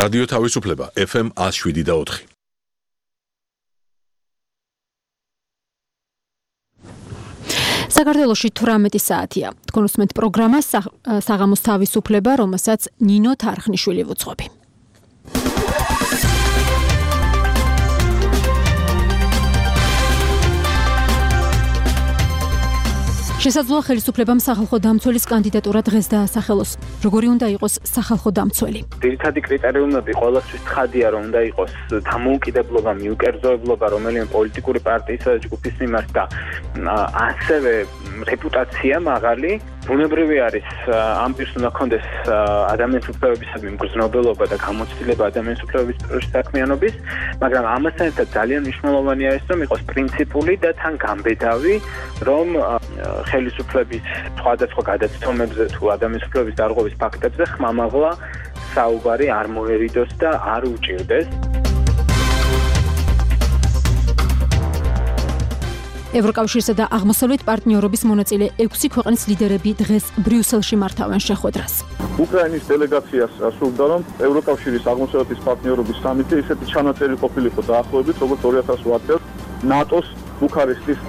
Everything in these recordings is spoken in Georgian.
რადიო თავისუფლება FM 107.4. საქართველოში 18 საათია. თქვენ უსმენთ პროგრამას საღამოს თავისუფლება, რომელსაც ნინო თარხნიშვილი ვუძღვები. შესაძლოა ხელისუფლებამ სახალხო დამცველის კანდიდატურა დღეს დაასახელოს. როგორი უნდა იყოს სახალხო დამცველი? ძირითადი კრიტერიუმები ყოველთვის ცხადია, რომ უნდა იყოს დამოუკიდებლობა, მიუკერძოებლობა რომელიმე პოლიტიკური პარტიისა და ჯგუფის მიმართ და ასევე რეპუტაცია მაღალი. ბუნებრივი არის ამ პირს უნდა ჰქონდეს ადამიანის უფლებებისადმი მგრძნობელობა და გამოცდილება ადამიანის უფლებების საქმიანობის, მაგრამ ამასთან ერთად ძალიან მნიშვნელოვანი არის, რომ იყოს პრინციპული და თან გამბედავი, რომ ხელისუფლების სხვადასხვა გადაცემებზე თუ ადამიანის უფლებების დარღვევის ფაქტებზე ხმამაღლა საუბარი არ მოერიდოს და არ უჭირდეს. ევროკავშირსა და აღმოსავლეთ პარტნიორობის მონაწილე 6 ქვეყნის ლიდერები დღეს ბრიუსელში მართავენ შეხვედრას. უკრაინის დელეგაციას სურდა, რომ ევროკავშირის აღმოსავლეთის პარტნიორობის სამიტი ისეთი ჩანაწერი ყოფილიყო დაახლოებით, როგორც 2008 წელს ნატოს ბუქარესტის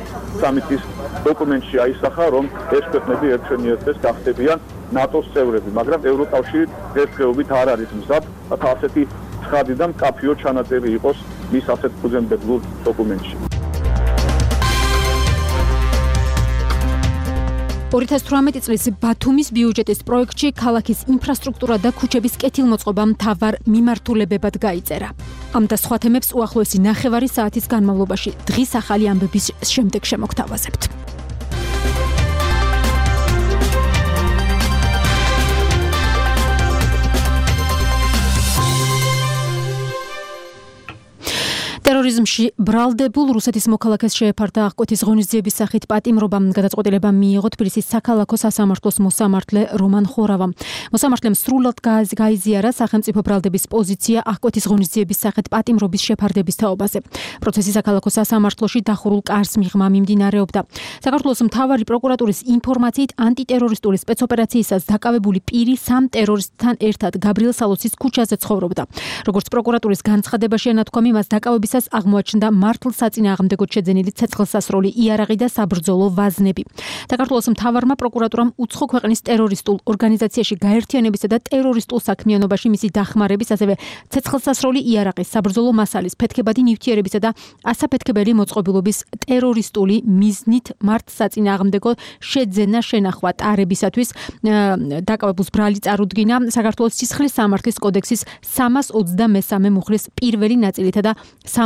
სამიტის დოკუმენტში აისახა, რომ ეს ქვეყნები ერთშენიერთეს გახდებიან ნატოს წევრები, მაგრამ ევროკავშირი დღესდღეობით არ არის მზად, რათა ასეთი ცხადი და მკაფიო ჩანაწერი იყოს მის ასეთ ფუძემდებლურ დოკუმენტში. 2018 წლის ბათუმის ბიუჯეტის პროექტში ქალაქის ინფრასტრუქტურა და ქუჩების კეთილმოწყობა მთავარ მიმართულებებად გაიწერა. ამ და სხვა თემებს უახლოესი 9 საათის განმავლობაში დღის ახალი ამბების შემდეგ შემოგთავაზებთ. ტერორიზმში ბრალდებულ რუსეთის მოქალაქეს შეეფარდა აღკვეთის ღონისძიების სახით პატიმრობა. გადაწყვეტილება მიიღო თბილისის საქალაქო სასამართლოს მოსამართლე რომან ხორავამ. მოსამართლემ სრულად გაიზიარა სახელმწიფო ბრალდების პოზიცია აღკვეთის ღონისძიების სახით პატიმრობის შეფარდების თაობაზე. პროცესი საქალაქო სასამართლოში დახურულ კარს მიღმა მიმდინარეობდა. საქართველოს მთავარი პროკურატურის ინფორმაციით ანტიტერორისტული სპეცოპერაციისას დაკავებული პირი 3 ტერორისტთან ერთად გაბრიელ სალოცის ქუჩაზე ცხოვრობდა. როგორც პროკურატურის განცხადებაში ენათქვამი, მას დაკავებისას აღმოაჩნდა მართლ საწინააღმდეგოდ შეძენილი ცეცხლსასროლი იარაღი და საბრძოლო ვაზნები. საქართველოს მთავარმა პროკურატურამ უცხო ქვეყნის ტერორისტულ ორგანიზაციაში გაერთიანებისა და ტერორისტულ საქმიანობაში მისი დახმარების, ასევე ცეცხლსასროლი იარაღის, საბრძოლო მასალის, ფეთქებადი ნივთიერებისა და ასაფეთქებელი მოწყობილობის ტერორისტული მიზნით მართ საწინააღმდეგო შეძენა შენახვა ტარებისათვის დაკავებულს ბრალი წარუდგინა საქართველოს სისხლის სამართლის კოდექსის 323 მუხლის პირველი ნაწილითა და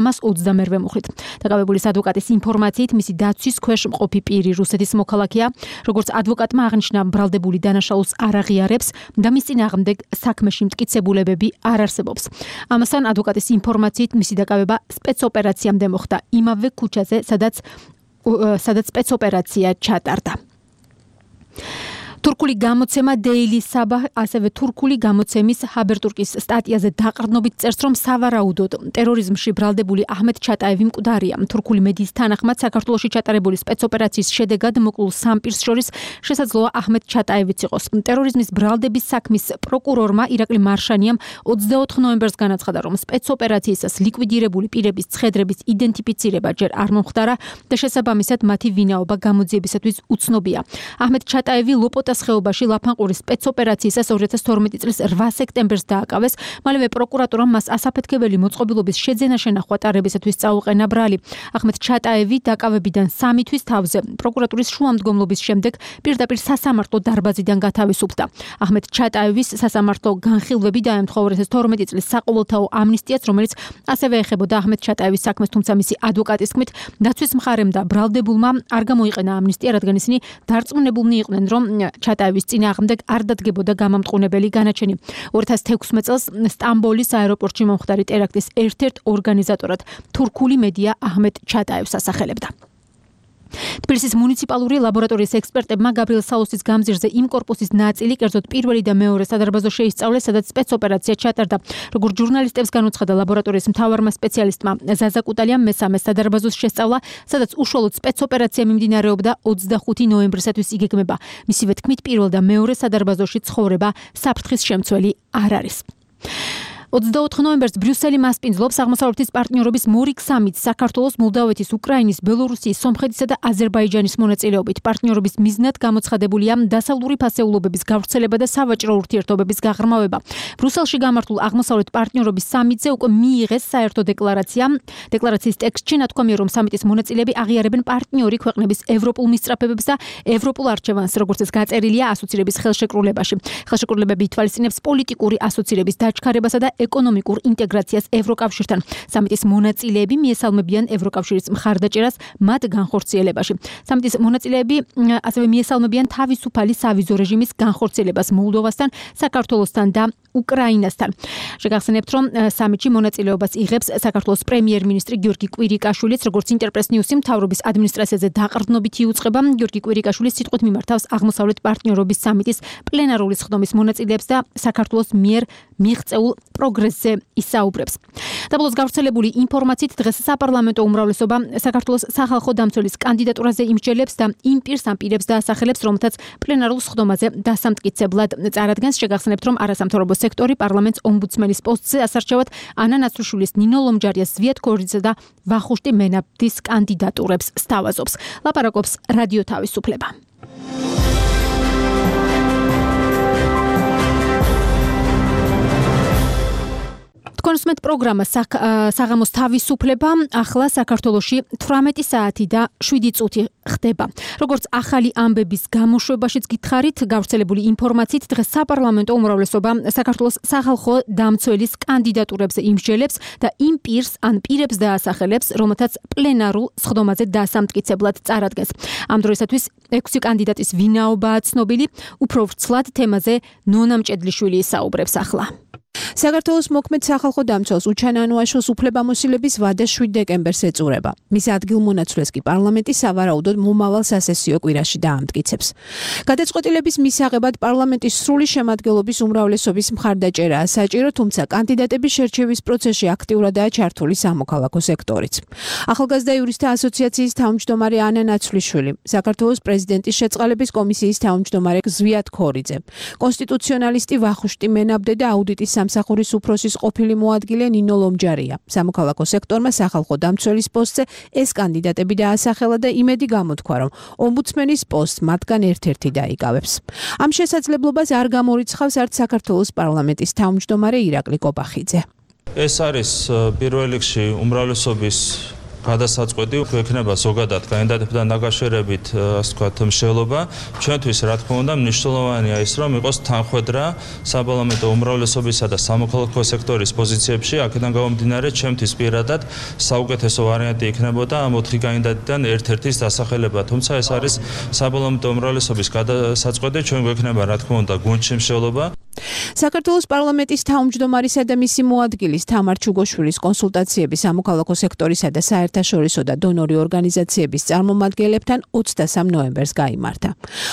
328 მუხლით. დაკავებულის ადვოკატის ინფორმაციით, მისი დაცვის ქვეშ მყოფი პირი რუსეთის მოქალაქეა, როგორც ადვოკატმა აღნიშნა, ბრალდებული დანაშაულს არ აღიარებს და მის წინააღმდეგ საქმეში მტკიცებულებები არ არსებობს. ამასთან ადვოკატის ინფორმაციით, მისი დაკავება სპეცოპერაციამდე მოხდა იმავე ქუჩაზე, სადაც სპეცოპერაცია ჩატარდა. თურქული გამოცემა Daily Sabah, ასევე თურქული გამოცემის ჰაბერტურკის სტატიაზე დაყრდნობით წერს, რომ სავარაუდოდ ტერორიზმში ბრალდებული აჰმედ ჩატაევი მკვდარია. თურქული მედიის თანახმად საქართველოში ჩატარებული სპეცოპერაციის შედეგად მოკლულ 3 პირს შორის შესაძლოა აჰმედ ჩატაევიც იყოს. ტერორიზმის ბრალდების საქმის პროკურორმა ირაკლი მარშანიამ 24 ნოემბერს განაცხადა, რომ სპეცოპერაციისას ლიკვიდირებული პირების ცხედრების იდენტიფიცირება ჯერ არ მომხდარა და შესაბამისად მათი ვინაობა გამოძიებისათვის უცნობია. აჰმედ ჩატაევი ლოპოტას ხეობაში ლაფანყურის სპეცოპერაციისას 2012 წლის 8 სექტემბერს დააკავეს. მალევე პროკურატურამ მას ასაფეთქებელი მოწყობილობის შეძენა შენახვა ტარებისათვის წაუყენა ბრალი. აჰმედ ჩატაევი დაკავებიდან 3 თვის თავზე პროკურატურის შუამდგომლობის შემდეგ პირდაპირ სასამართლო დარბაზიდან გათავისუფლდა. აჰმედ ჩატაევის სასამართლო განხილვები დაემთხვა 2012 წლის საყოველთაო ამნისტიას, რომელიც ასევე ეხებოდა აჰმედ ჩატაევის საქმეს, თუმცა მისი ადვოკატის თქმით, დაცვის მხარემ და ბრალდებულმა არ გამოიყენა ამნისტია, რადგან ისინი დარწმუნებულნი იყვნენ, რომ ჩატაევის წინააღმდეგ არ დადგებოდა გამამტყუნებელი განაჩენი. 2016 წელს სტამბოლის აეროპორტში მომხდარი ტერაქტის ერთ-ერთ ორგანიზატორად თურქული მედია აჰმედ ჩატაევს ასახელებდა. თბილისის მუნიციპალური ლაბორატორიის ექსპერტებმა გაბრიელ სალოცის გამზირზე იმ კორპუსის ნაწილი, კერძოდ პირველი და მეორე სადარბაზო შეისწავლეს, სადაც სპეცოპერაცია ჩატარდა. როგორც ჟურნალისტებს განუცხადა ლაბორატორიის მთავარმა სპეციალისტმა ზაზა კუტალიამ, მესამე სადარბაზოს შესწავლა, სადაც უშუალოდ სპეცოპერაცია მიმდინარეობდა 25 ნოემბრისათვის იგეგმება. მისივე თქმით, პირველ და მეორე სადარბაზოში ცხოვრება საფრთხის შემცველი არ არის. 24 ნოემბერს ბრიუსელი მასპინძლობს აღმოსავლეთის პარტნიორობის მორიგ სამიტს საქართველოს, მოლდავეთის, უკრაინის, ბელორუსიის, სომხეთისა და აზერბაიჯანის მონაწილეობით. პარტნიორობის მიზნად გამოცხადებულია დასავლური ფასეულობების გავრცელება და სავაჭრო ურთიერთობების გაღრმავება. ბრიუსელში გამართულ აღმოსავლეთ პარტნიორობის სამიტზე უკვე მიიღეს საერთო დეკლარაცია. დეკლარაციის ტექსტში ნათქვამია, რომ სამიტის მონაწილეები აღიარებენ პარტნიორი ქვეყნების ევროპულ მისწრაფებებს და ევროპულ არჩევანს, როგორც ეს გაწერილია ასოცირების ხელშეკრულებაში. ხელშეკრულებები ითვალისწინებს პოლიტიკური ასოცირების დაჩქარებასა და ეკონომიკურ ინტეგრაციას ევროკავშირთან. სამიტის მონაწილეები მიესალმებიან ევროკავშირის მხარდაჭერას მათ განხორციელებაში. სამიტის მონაწილეები ასევე მიესალმებიან თავისუფალი სავიზო რეჟიმის განხორციელებას მოლდოვასთან, საქართველოსთან და უკრაინასთან. შეგახსენებთ, რომ სამიტში მონაწილეობას იღებს საქართველოს პრემიერ-მინისტრი გიორგი კვირიკაშვილიც, როგორც ინტერპრეს ნიუსი მთავრობის ადმინისტრაციაზე დაყრდნობით იუწყება. გიორგი კვირიკაშვილი სიტყვით მიმართავს აღმოსავლეთ პარტნიორობის სამიტის პლენარული სხდომის მონაწილეებს და საქართველოს მიერ მიღწეულ პროგრესზე ისაუბრებს. დაბოლოს გავრცელებული ინფორმაციით დღეს საპარლამენტო უმრავლესობა საქართველოს სახალხო დამცველის კანდიდატურაზე იმსჯელებს და იმ პირს ამპირებს დაასახელებს, რომელთაც პლენარულ სხდომაზე დასამტკიცებლად წარადგენს. შეგახსენებთ, რომ არასამთავრობო სექტორი პარლამენტს ომბუდსმენის პოსტზე ასარჩევად ანა ნაცრიშვილის, ნინო ლომჯარიას, ზვიად ქორიძეს და ვახუშტი მენაბდის კანდიდატურებს სთავაზობს. ლაპარაკობს რადიო თავისუფლება. კონსუმენტ პროგრამა საღამოს თავისუფლება ახლა საქართველოში 18 საათი და 7 წუთი ხდება. როგორც ახალი ამბების გამოშვებაშიც გითხარით, გავრცელებული ინფორმაციით დღეს საპარლამენტო უმრავლესობა საქართველოს სახალხო დამცველის კანდიდატურებზე იმსჯელებს და იმ პირს ან პირებს დაასახელებს, რომელთაც პლენარულ სხდომაზე დასამტკიცებლად წარადგენს. ამ დროისათვის 6 კანდიდატის ვინაობაა ცნობილი, უფრო ვრცლად თემაზე ნონა მჭედლიშვილი ისაუბრებს ახლა. საქართველოს მოქმედ სახალხო დამცველს უჩან ანუაშოს უფლებამოსილების ვადა 7 დეკემბერს ეწურება. მის ადგილმონაცვლეს კი პარლამენტი სავარაუდოდ მომავალ სასესიო კვირაში დაამტკიცებს. გადაწყვეტილების მისაღებად პარლამენტის სრული შემადგენლობის უმრავლესობის მხარდაჭერაა საჭირო, თუმცა კანდიდატების შერჩევის პროცესში აქტიურადაა ჩართული სამოქალაქო სექტორიც. ახალგაზრდა იურისტთა ასოციაციის თავმჯდომარე ანა ნაცვლიშვილი, საქართველოს პრეზიდენტის შეწყალების კომისიის თავმჯდომარე ზვიად ქორიძე, კონსტიტუციონალისტი ვახუშტი მენაბდე და აუდიტის სამსახურის უფროსის ყოფილი მოადგილე ნინო ლომჯარია. სამოქალაქო სექტორმა სახალხო დამცველის პოსტზე ეს კანდიდატები დაასახელა და იმედი გამოთქვა, რომ ომბუდსმენის პოსტს მათგან ერთ-ერთი დაიკავებს. ამ შესაძლებლობას არ გამორიცხავს არც საქართველოს პარლამენტის თავმჯდომარე ირაკლი კობახიძე. ეს არის პირველ რიგში უმრავლესობის გადასაწყვეტი ექნება ზოგადად კანდიდატებთან დაკავშირებით, ასე ვთქვათ, მსჯელობა. ჩვენთვის, რა თქმა უნდა, მნიშვნელოვანია ის, რომ იყოს თანხვედრა საპარლამენტო უმრავლესობისა და სამოქალაქო სექტორის პოზიციებში. აქედან გამომდინარე, ჩვენთვის პირადად საუკეთესო ვარიანტი იქნებოდა ამ 4 კანდიდატიდან ერთ-ერთის დასახელება. თუმცა ეს არის საპარლამენტო უმრავლესობის გადასაწყვეტი, ჩვენ გვექნება, რა თქმა უნდა, გუნდში მსჯელობა. საქართველოს პარლამენტის თავმჯდომარისა და მისი მოადგილის თამარ ჩუგოშვილის კონსულტაციები სამოქალაქო სექტორისა და საერთაშორისო და დონორი ორგანიზაციების წარმომადგენლებთან 23 ნოემბერს გაიმართა.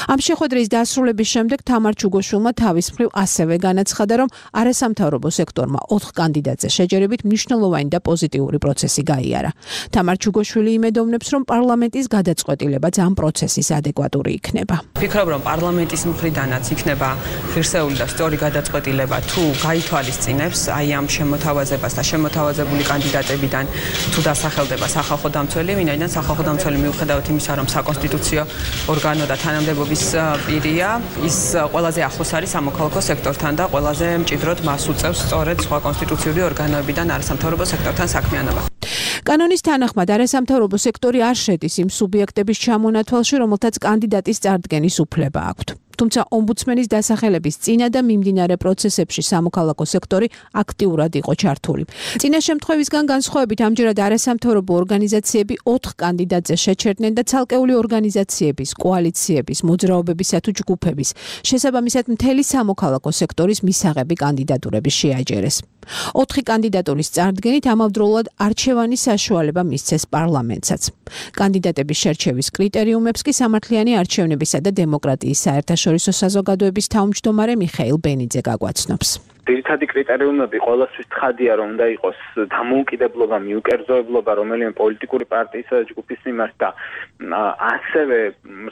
ამ შეხვედრის დასრულების შემდეგ თამარ ჩუგოშვილმა თავის მხრივ ასევე განაცხადა, რომ არასამთავრობო სექტორმა 4 კანდიდატზე შეჯერებით მნიშვნელოვანი და პოზიტიური პროცესი გაიარა. თამარ ჩუგოშვილი იმედოვნებს, რომ პარლამენტის გადაწყვეტილებაც ამ პროცესის ადეკვატური იქნება. ვფიქრობ, რომ პარლამენტის მხრიდანაც იქნება ღირსეული და სწორი გადაწყვეტილება თუ გაითვალისწინებს აი ამ შემოთავაზებას და შემოთავაზებული კანდიდატებიდან თუ დასახელდება სახალხო დამცველი, ვინაიდან სახალხო დამცველი მიუხედავად იმისა, რომ საკონსტიტუციო ორგანო და თანამდებობის პირია, ის ყველაზე ახლოს არის სამოქალაქო სექტორთან და ყველაზე მჭიდროდ მას უწევს სწორედ სხვა კონსტიტუციური ორგანოებიდან არასამთავრობო სექტორთან საქმიანობა. კანონის თანახმად არასამთავრობო სექტორი არ შედის იმ სუბიექტების ჩამონათვალში, რომელთაც კანდიდატის წარდგენის უფლება აქვთ. თუმცა ომბუდსმენის დასახელების წინა და მიმდინარე პროცესებში სამოქალაქო სექტორი აქტიურად იყო ჩართული. წინა შემთხვევისგან განსხვავებით ამჯერად არასამთავრობო ორგანიზაციები 4 კანდიდატზე შეჩერდნენ და ცალკეული ორგანიზაციების, კოალიციების, მოძრაობებისა თუ ჯგუფების, შესაბამისად მთელი სამოქალაქო სექტორის მისაღები კანდიდატურების შეაჯერეს. 4 კანდიდატურის წარდგენით ამავდროულად არჩევანის საშუალება მისცეს პარლამენტსაც. კანდიდატების შერჩევის კრიტერიუმებს კი სამართლიანი არჩევნებისა და დემოკრატიის საერთაშორისო საზოგადოების თავმჯდომარე მიხეილ ბენიძე გაგვაცნობს. ძირითადი კრიტერიუმები ყოველთვის ცხადია, რომ უნდა იყოს დამოუკიდებლობა, მიუკერძოებლობა რომელიმე პოლიტიკური პარტიისა და ჯგუფის მიმართ და ასევე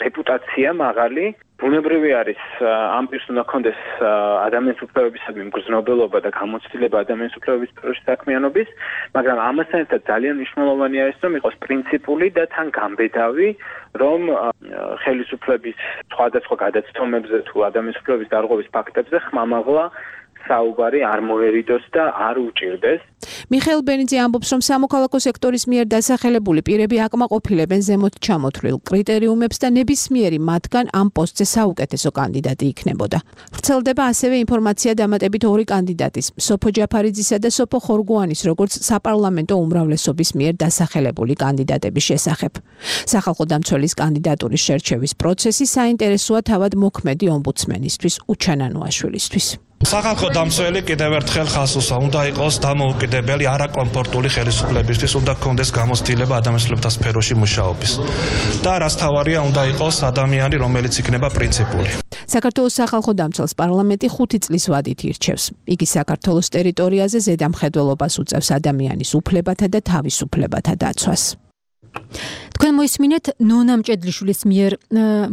რეპუტაცია მაღალი ბუნებრივი არის ამ პირს უნდა ქონდეს ადამიანის უფლებებისადმი მგრძნობელობა და გამოცდილება ადამიანის უფლებების სფეროში საქმიანობის, მაგრამ ამასთან ერთად ძალიან მნიშვნელოვანი არის, რომ იყოს პრინციპული და თან გამბედავი, რომ ხელისუფლების სხვადასხვა გადაცდომებზე თუ ადამიანის უფლებების დარღვევის ფაქტებზე ხმამაღლა საუბარი არ მოერიდოს და არ უჭირდეს. მიხეილ ბენიძე ამბობს, რომ სამოქალაქო სექტორის მიერ დასახელებული პირები აკმაყოფილებენ ზემოთ ჩამოთვლილ კრიტერიუმებს და ნებისმიერი მათგან ამ პოსტზე საუკეთესო კანდიდატი იქნებოდა. ვრცელდება ასევე ინფორმაცია დამატებით ორი კანდიდატის, სოფო ჯაფარიძისა და სოფო ხორგუანის, როგორც საპარლამენტო უმრავლესობის მიერ დასახელებული კანდიდატების შესახებ. სახალხო დამცველის კანდიდატურის შერჩევის პროცესი საინტერესოა თავად მოქმედი ომბუდსმენისთვის უჩანანოაშვილისთვის. სახალხო დამცველი კიდევ ერთხელ ხასუსა უნდა იყოს დამოუკიდებელი არაკომფორტული ხელისუფლებისთვის, უნდა გქონდეს გამოცდილება ადამიანის უფლებთა სფეროში მუშაობის. და რაც თავარია, უნდა იყოს ადამიანი, რომელიც იქნება პრინციპული. საქართველოს სახალხო დამცველს პარლამენტი 5 წლის ვადით ირჩევს. იგი საქართველოს ტერიტორიაზე ზედამხედველობას უწევს ადამიანის უფლებათა და თავისუფლებათა დაცვას. თქვენ მოისმინეთ ნონა მჭედლიშვილის მიერ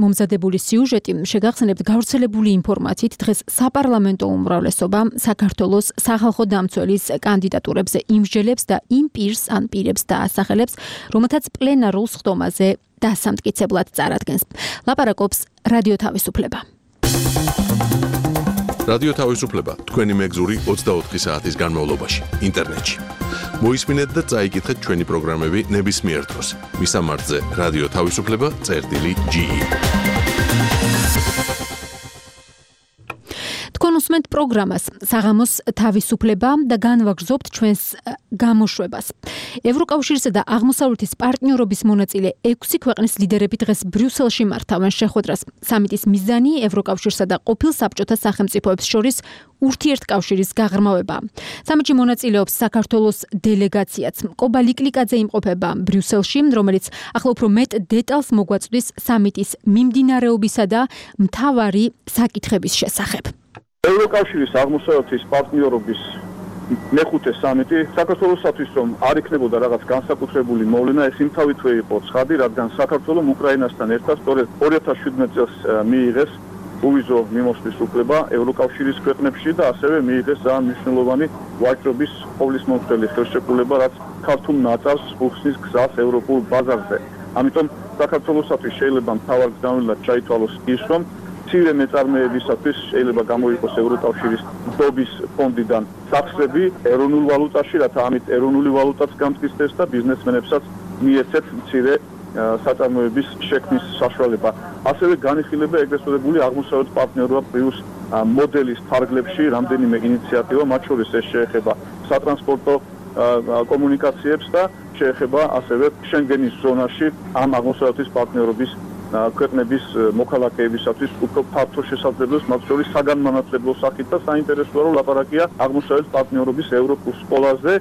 მომზადებული სიუჟეტი. შეგახსენებთ გავრცელებული ინფორმაციით, დღეს საპარლამენტო უმრავლესობა საქართველოს სახალხო დამცველის კანდიდატურებზე იმსჯელებს და იმ პირს ან პირებს დაასახელებს, რომელთაც პლენარულ სხდომაზე დასამტკიცებლად წარადგენს. ლაპარაკობს რადიო თავისუფლება. რადიო თავისუფლება თქვენი მეგზური 24 საათის განმავლობაში ინტერნეტში. მოისმინეთ და წაიკითხეთ ჩვენი პროგრამები ნებისმიერ დროს. მისამართზე რადიო თავისუფლება.ge. თქვენ უსმენთ პროგრამას საღამოს თავისუფლება და განვაგრძობთ ჩვენს გამოშვებას. ევროკავშირისა და აღმოსავლეთის პარტნიორობის მონაწილე 6 ქვეყნის ლიდერები დღეს ბრიუსელში მართავენ შეხვედრას. სამიტის მიზანი ევროკავშირსა და ყოფილ საბჭოთა სახელმწიფოებს შორის ურთიერთკავშირის გაღრმავება. სამიტში მონაწილეობს საქართველოს დელეგაციაც. კობა ლიკლიკაძე იმყოფება ბრიუსელში, რომელიც ახლა უფრო მეტ დეტალს მოგვაწვდის სამიტის მიმდინარეობისა და მთავარი საკითხების შესახებ. ევროკავშირის აღმოსავლეთის პარტნიორობის მეხუთე სამიტი საქართველოსთვის რომ არ იქნებოდა რაღაც განსაკუთრებული მოვლენა, ეს იმთავითვე იყო ცხადი, რადგან საქართველოს უკრაინასთან ერთად სწორედ 2017 წელს მიიღეს უვიზო მიმოსვლის უფლება ევროკავშირის ქვეყნებში და ასევე მიიღეს ძალიან მნიშვნელოვანი ვაჭრობის ყოვლისმომცველი ხელშეკრულება, რაც ქართულ ნაწილს უხსნის გზას ევროპულ ბაზარზე. ამიტომ საქართველოსთვის შეიძლება მთავარ გზავნილად ჩაითვალოს ის, რომ მცირე მეწარმეებისათვის შეიძლება გამოიყოს ევროკავშირის ნდობის ფონდიდან სახსრები ეროვნულ ვალუტაში, რათა ამით ეროვნული ვალუტაც გამტკიცდეს და ბიზნესმენებსაც მიეცეთ მცირე საწარმოების შექმნის საშუალება. ასევე განიხილება ეგრეთ წოდებული აღმოსავლეთ პარტნიორობა პლუს მოდელის ფარგლებში რამდენიმე ინიციატივა, მათ შორის ეს შეეხება სატრანსპორტო კომუნიკაციებს და შეეხება ასევე შენგენის ზონაში ამ აღმოსავლეთის პარტნიორობის ქვეყნების მოქალაქეებისათვის უფრო ფართო შესაძლებლობას, მათ შორის საგანმანათლებლო სახით და საინტერესოა რომ ლაპარაკია აღმოსავლეთ პარტნიორობის ევროპულ სკოლაზე,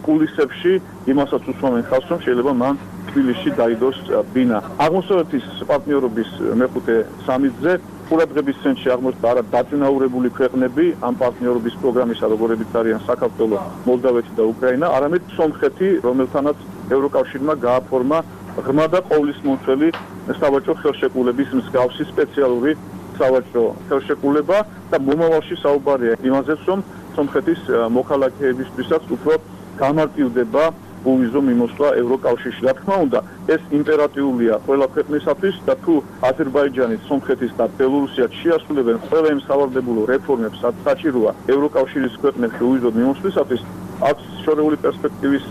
კულისებში იმასაც უსვამენ ხალხს, რომ შეიძლება მან თბილისში დაიდოს ბინა. აღმოსავლეთის პარტნიორობის მეხუთე სამიტზე ყურადღების ცენტრში აღმოჩნდა არა დაწინაურებული ქვეყნები ამ პარტნიორობის პროგრამისა, როგორებიც არიან საქართველო, მოლდავეთი და უკრაინა, არამედ სომხეთი, რომელთანაც ევროკავშირმა გააფორმა ღრმა და ყოვლისმომცველი სავაჭრო ხელშეკრულების მსგავსი სპეციალური სავაჭრო ხელშეკრულება და მომავალში საუბარია იმაზე, რომ სომხეთის მოქალაქეებისთვისაც უფრო გამარტივდება უვიზო მიმოსვლა ევროკავშირში. რა თქმა უნდა, ეს იმპერატიულია ყველა ქვეყნისათვის და თუ აზერბაიჯანის, სომხეთის და ბელორუსიაც შეასრულებენ ყველა იმ სავარდებულო რეფორმებს, რაც საჭიროა ევროკავშირის ქვეყნებში უვიზო მიმოსვლისათვის, აქვს შორეული პერსპექტივის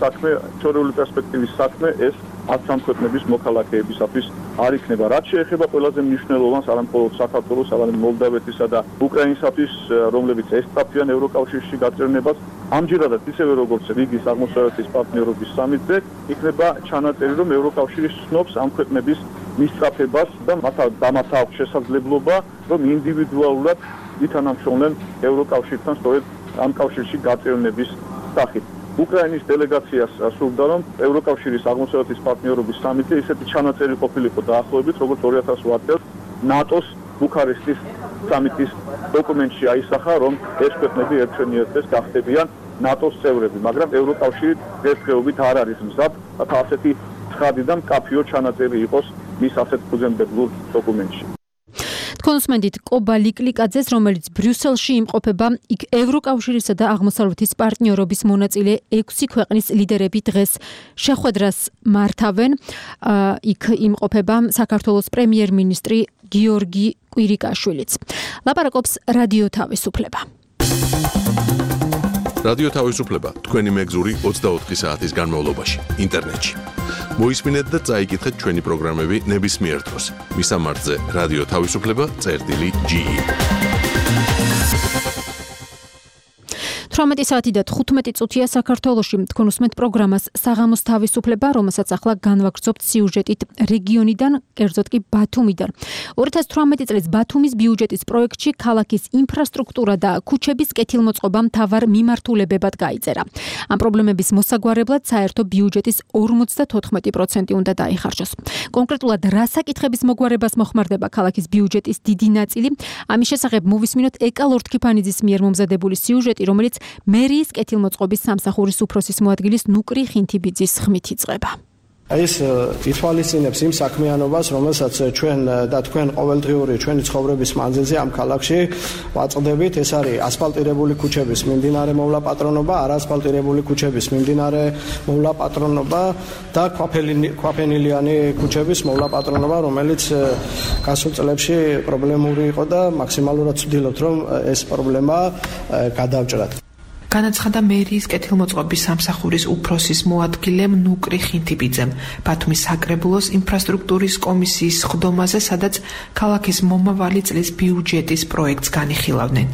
საქმე ეს 10 ქვეყნების მოქალაქეებისათვის არ იქნება. რაც შეეხება ყველაზე მნიშვნელოვანს არა მხოლოდ საქართველოს, არამედ მოლდავეთისა და უკრაინისათვის, რომლებიც ესწრაფიან ევროკავშირში გაჭრნებას, ამჯერადად ისევე როგორც რიგის აღმოსავლეთის პარტნიორობის სამიტზე იქნება ჩანაწერი, რომ ევროკავშირი სცნობს ამ ქვეყნების მისწრაფებას და მათ აქვს შესაძლებლობა, რომ ინდივიდუალურად ითანამშრომლენ ევროკავშირთან სწორედ ამ კავშირში გაჭრნების სახით. უკრაინის დელეგაციას სურდა, რომ ევროკავშირის აღმოსავლეთის პარტნიორობის სამიტზე ისეთი ჩანაწერი ყოფილიყო დაახლოებით, როგორც 2008 წელს ნატოს ბუქარესტის სამიტის დოკუმენტში აისახა, რომ ეს ქვეყნები ერთშენიერთეს გახდებიან ნატოს წევრები, მაგრამ ევროკავშირი დღესდღეობით არ არის მზად, რათა ასეთი ცხადი და მკაფიო ჩანაწერი იყოს მის ასეთ ფუძემდებულ დოკუმენტში. კონსმენდით კობა ლიკლიკაძეს, რომელიც ბრიუსელში იმყოფება, იქ ევროკავშირისა და აღმოსავლეთის პარტნიორობის მონაწილე 6 ქვეყნის ლიდერები დღეს შეხვედრას მართავენ. იქ იმყოფება საქართველოს პრემიერ-მინისტრი გიორგი კვირიკაშვილიც. ლაპარაკობს რადიო თავისუფლება. რადიო თავისუფლება თქვენი მეგზური 24 საათის განმავლობაში ინტერნეტში. მოისმინეთ და წაიკითხეთ ჩვენი პროგრამები ნებისმიერ დროს. მისამართზე რადიო თავისუფლება.ge 18 საათი და 15 წუთია საქართველოში. თქვენ უსმენთ პროგრამას საღამოს თავისუფლება, რომელსაც ახლა განვაგრძობთ სიუჟეტით რეგიონიდან, კერძოდ კი ბათუმიდან. 2018 წლის ბათუმის ბიუჯეტის პროექტში ქალაქის ინფრასტრუქტურა და ქუჩების კეთილმოწყობა მთავარ მიმართულებებად გაიწერა. ამ პრობლემების მოსაგვარებლად საერთო ბიუჯეტის 54% უნდა დაიხარჯოს. კონკრეტულად რა საკითხების მოგვარებას მოხმარდება ქალაქის ბიუჯეტის დიდი ნაწილი? ამის შესახებ მოვისმინოთ ეკა ლორთქიფანიძის მიერ მომზადებული სიუჟეტი, რომელიც მერიის კეთილმოწყობის სამსახურის უფროსის მოადგილის ნუკრი ხინთიბიძის ხმით იწყება. ეს ითვალისწინებს იმ საქმიანობას, რომელსაც ჩვენ და თქვენ ყოველდღიური ჩვენი ცხოვრების მანძილზე ამ ქალაქში ვაწყდებით. ეს არის ასფალტირებული ქუჩების მიმდინარე მოვლაპატრონობა, არაასფალტირებული ქუჩების მიმდინარე მოვლაპატრონობა და ქვაფენილიანი ქუჩების მოვლაპატრონობა, რომელიც გასულ წლებში პრობლემური იყო და მაქსიმალურად ვცდილობთ, რომ ეს პრობლემა გადავჭრათ. განაცხადა მერიის კეთილმოწყობის სამსახურის უფროსის მოადგილემ ნუკრი ხინთიბიძემ ბათუმის საკრებულოს ინფრასტრუქტურის კომისიის სხდომაზე, სადაც ქალაქის მომავალი წლის ბიუჯეტის პროექტს განიხილავდნენ.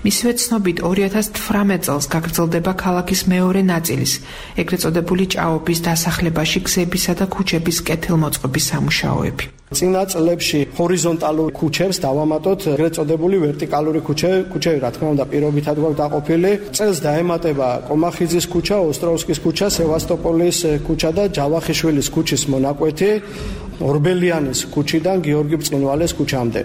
მისივე ცნობით 2018 წელს გაგრძელდება ქალაქის მეორე ნაწილის, ეგრეთ წოდებული ჭაობის დასახლებაში გზებისა და ქუჩების კეთილმოწყობის სამუშაოები. წინა წლებში ჰორიზონტალურ ქუჩებს დავამატოთ ეგრეთ წოდებული ვერტიკალური ქუჩები, რა თქმა უნდა, პირობითად გვაქვს დაყოფილი. წელს დაემატება კომახიძის ქუჩა, ოსტროვსკის ქუჩა, სევასტოპოლის ქუჩა და ჯავახიშვილის ქუჩის მონაკვეთი, ორბელიანის ქუჩიდან გიორგი ბრწყინვალეს ქუჩამდე.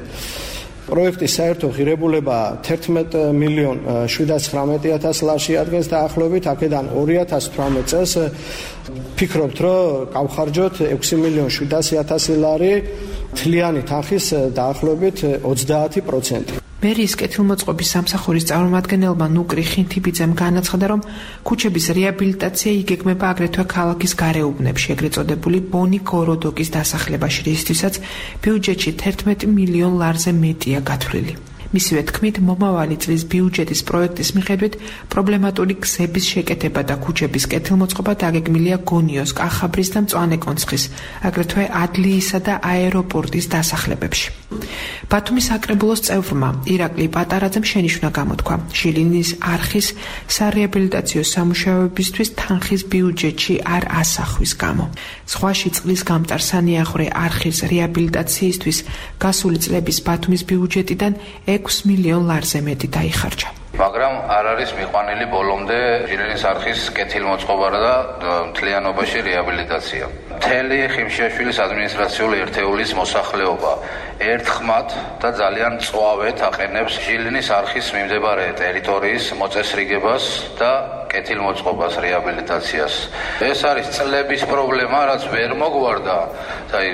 პროექტის საერთო ღირებულება 11,719,000 ლარში ადგენს დაახლოებით. აქედან 2018 წელს ფიქრობთ, რომ გავხარჯოთ 6,700,000 ლარი, თლიანი თანხის დაახლოებით 30%. მერიის კეთილმოწყობის სამსახურის წარმომადგენელმა ნუკრი ხინთიბიძემ განაცხადა, რომ ქუჩების რეაბილიტაცია იგეგმება აგრეთვე ქალაქის გარეუბნებში, ეგრეთ წოდებული ბონი გოროდოკის დასახლებაში, რისთვისაც ბიუჯეტში 11 მილიონ ლარზე მეტია გათვლილი. მისივე თქმით, მომავალი წლის ბიუჯეტის პროექტის მიხედვით პრობლემატური გზების შეკეთება და ქუჩების კეთილმოწყობა დაგეგმილია გონიოს, კახაბრის და მწვანე კონცხის, აგრეთვე ადლიისა და აეროპორტის დასახლებებში. ბათუმის საკრებულოს წევრმა ირაკლი პატარაძემ შენიშვნა გამოთქვა ჟილინის არხის სარეაბილიტაციო სამუშაოებისთვის თანხის ბიუჯეტში არ ასახვის გამო. ზღვაში წყლის გამტარ სანიახვე არხის რეაბილიტაციისთვის გასული წლების ბათუმის ბიუჯეტიდან 6 მილიონ ლარზე მეტი დაიხარჯა. მაგრამ არ არის მიყვანილი ბოლომდე ჟილინის არხის კეთილმოწყობა და მთლიანობაში რეაბილიტაცია. მთელი ხიმშიაშვილის ადმინისტრაციული ერთეულის მოსახლეობა ერთხმად და ძალიან მწვავედ აყენებს ჟილინის არხის მიმდებარე ტერიტორიის მოწესრიგებას და კეთილმოწყობას, რეაბილიტაციას. ეს არის წლების პრობლემა, რაც ვერ მოგვარდა.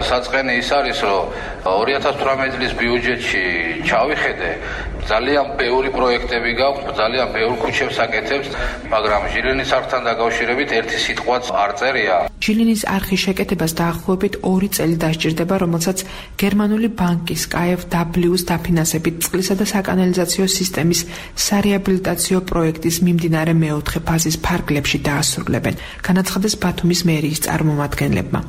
საწყენი ის არის, რომ 2018 წლის ბიუჯეტში ჩავიხედე, ძალიან ბევრი პროექტები გაქვს, ძალიან ბევრ ქუჩებს აკეთებს, მაგრამ ჟილინის არხთან დაკავშირებით ერთი სიტყვაც არ წერია. ჟილინის არხის შეკეთებას დაახლოებით 2 წელი დასჭირდება, რომელსაც გერმანული ბანკის KfW-ს დაფინანსებით წყლისა და საკანალიზაციო სისტემის სარეაბილიტაციო პროექტის მიმდინარე მეოთხე ფაზის ფარგლებში დაასრულებენ, განაცხადეს ბათუმის მერიის წარმომადგენლებმა.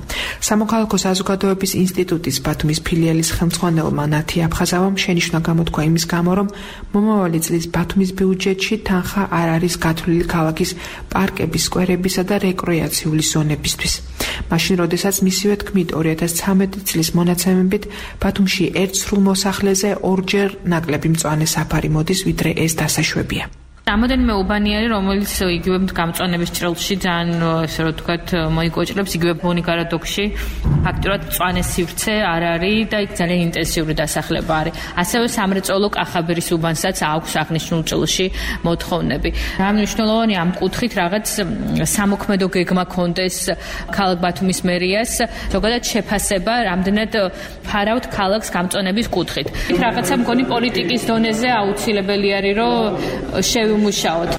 სამოქალაქო საზოგადოების ინსტიტუტის ბათუმის ფილიალის ხელმძღვანელმა ნათი აფხაზავამ შენიშვნა გამოთქვა იმის გამო, რომ მომავალი წლის ბათუმის ბიუჯეტში თანხა არ არის გათვლილი ქალაქის პარკების, სკვერებისა და რეკრეაციული ზონებისთვის. მაშინ, როდესაც მისივე თქმით 2013 წლის მონაცემებით ბათუმში ერთ სრულ მოსახლეზე 2-ჯერ ნაკლები მწვანე საფარი მოდის, ვიდრე ეს დასაშვებია. რამოდენიმე უბანიანი, რომელიც იგივე გამწვანების ჭრილში ძალიან, ესე რომ ვთქვათ, მოიკოჭრებს იგივე ბონი გარადოქში. ფაქტურად მწვანე სივრცე არ არის და იქ ძალიან ინტენსიური დასახლება არის. ასევე სამრეწველო კახაბერის უბანსაც აქვს აღნიშნულ ჭრილში მოთხოვნები. რა მნიშვნელოვანია ამ კუთხით რაღაც სამოქმედო გეგმა კონდეს ქალაქ ბათუმის მერიას, ზოგადად შეფასება რამდენად ფარავთ ქალაქს გამწვანების კუთხით. რაღაცა მგონი პოლიტიკის დონეზე აუცილებელი არის, რომ შევიმუშაოთ.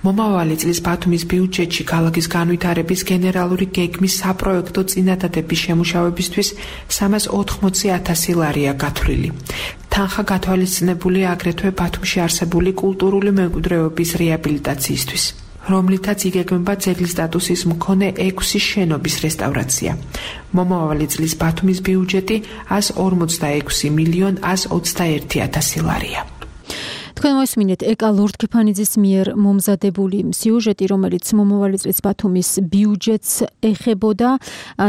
მომავალი წლის ბათუმის ბიუჯეტში ქალაქის განვითარების გენერალური გეგმის საპროექტო წინადადების შემუშავებისთვის 380,000 ლარია გათვლილი. თანხა გათვალისწინებული აგრეთვე ბათუმში არსებული კულტურული მემკვიდრეობის რეაბილიტაციისთვის, რომლითაც იგეგმება ძეგლის სტატუსის მქონე 6 შენობის რესტავრაცია. მომავალი წლის ბათუმის ბიუჯეტი 146,121,000 ლარია. თქვენ მოისმინეთ ეკა ლორდ-ქეფანიძის მიერ მომზადებული სიუჟეტი, რომელიც მომავალი წლის ბათუმის ბიუჯეტს ეხებოდა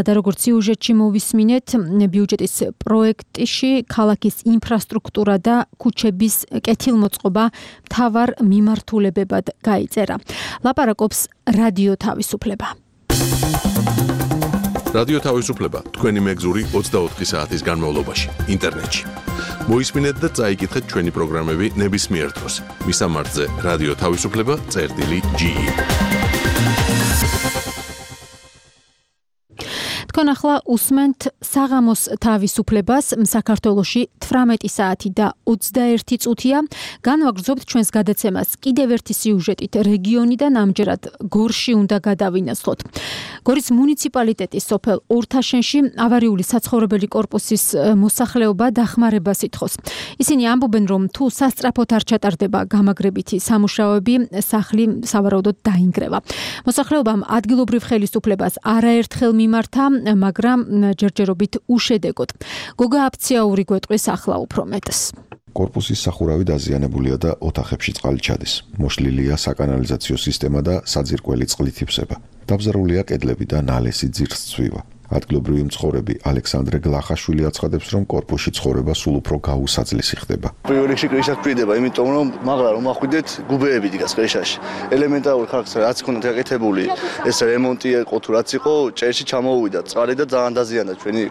და როგორც სიუჟეტში მოვისმინეთ, ბიუჯეტის პროექტში ქალაქის ინფრასტრუქტურა და ქუჩების კეთილმოწყობა მთავარ მიმართულებებად გაიწერა. ლაპარაკობს რადიო თავისუფლება. რადიო თავისუფლება თქვენი მეგზური 24 საათის განმავლობაში ინტერნეტში. მოისმინეთ და წაიკითხეთ ჩვენი პროგრამები ნებისმიერ დროს. მისამართზე რადიო თავისუფლება.ge. თქვენ ახლა უსმენთ საღამოს თავისუფლებას. საქართველოში 18 საათი და 21 წუთია. განვაგრძობთ ჩვენს გადაცემას კიდევ ერთი სიუჟეტით რეგიონიდან, ამჯერად გორში უნდა გადავინაცვლოთ. გორის მუნიციპალიტეტის სოფელ ორთაშენში ავარიული საცხოვრებელი კორპუსის მოსახლეობა დახმარებას ითხოვს. ისინი ამბობენ, რომ თუ სასწრაფოდ არ ჩატარდება გამაგრებითი სამუშაოები, სახლი სავარაუდოდ დაინგრევა. მოსახლეობამ ადგილობრივ ხელისუფლებას არაერთხელ მიმართა, მაგრამ ჯერჯერობით უშედეგოდ. გოგა აფციაური გვეტყვის ახლა უფრო მეტს. კორპუსის სახურავი დაზიანებულია და ოთახებში წყალი ჩადის. მოშლილია საკანალიზაციო სისტემა და საძირკველი წყლით იფსება. დაბზარულია კედლები და ნალესი ძირს ცვივა. ადგილობრივი მცხოვრები ალექსანდრე გლახაშვილი აცხადებს, რომ კორპუსში ცხოვრება სულ უფრო გაუსაძლისი ხდება. პირველ რიგში კრიშას ფრიდება, იმიტომ რომ მაგრამ რომ ახვიდეთ გუბეები დგას კრიშაში. ელემენტარული ხარხს რაც ქონდათ გაკეთებული, ეს რემონტი იყო თუ რაც იყო, ჭერში ჩამოუვიდა წყალი და ძალიან დაზიანდა ჩვენი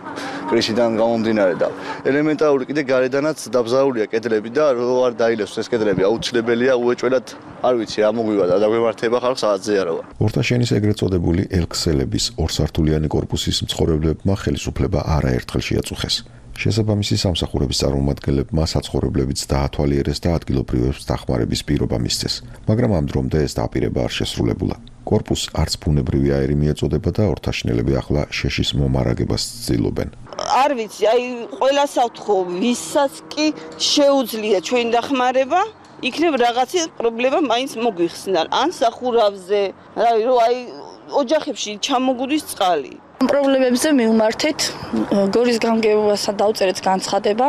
კრიშიდან გამომდინარე და ელემენტარული კიდე გარედანაც დაბზარულია კედლები და რო არ დაილევს ეს კედლები აუცილებელია უეჭველად, არ ვიცი რა მოგვივიდა და გვემართება ხალხს აზიაროა. ორთაშენის ეგრეთ წოდებული ელქსელების ორსართულიანი კორპუსის მცხოვრებლებმა ხელისუფლება არაერთხელ შეაწუხეს. შესაბამისი სამსახურების წარმომადგენლებმა საცხოვრებლებიც დაათვალიერეს და ადგილობრივებს დახმარების პირობა მისცეს, მაგრამ ამ დრომდე ეს დაპირება არ შესრულებულა. კორპუსს არც ბუნებრივი აირი მიეწოდება და ორთაშნელები ახლა შეშის მომარაგებას ცდილობენ. არ ვიცი, აი ყველას ავთხო, ვისაც კი შეუძლია ჩვენი დახმარება, იქნებ რაღაცა პრობლემა მაინც მოგვიხსნა. ან სახურავზე, რომ აი ოჯახებში ჩამოგუდის წყალი. პრობლემებზე მივმართეთ, გორის გამგეობასა დავწერეთ განცხადება.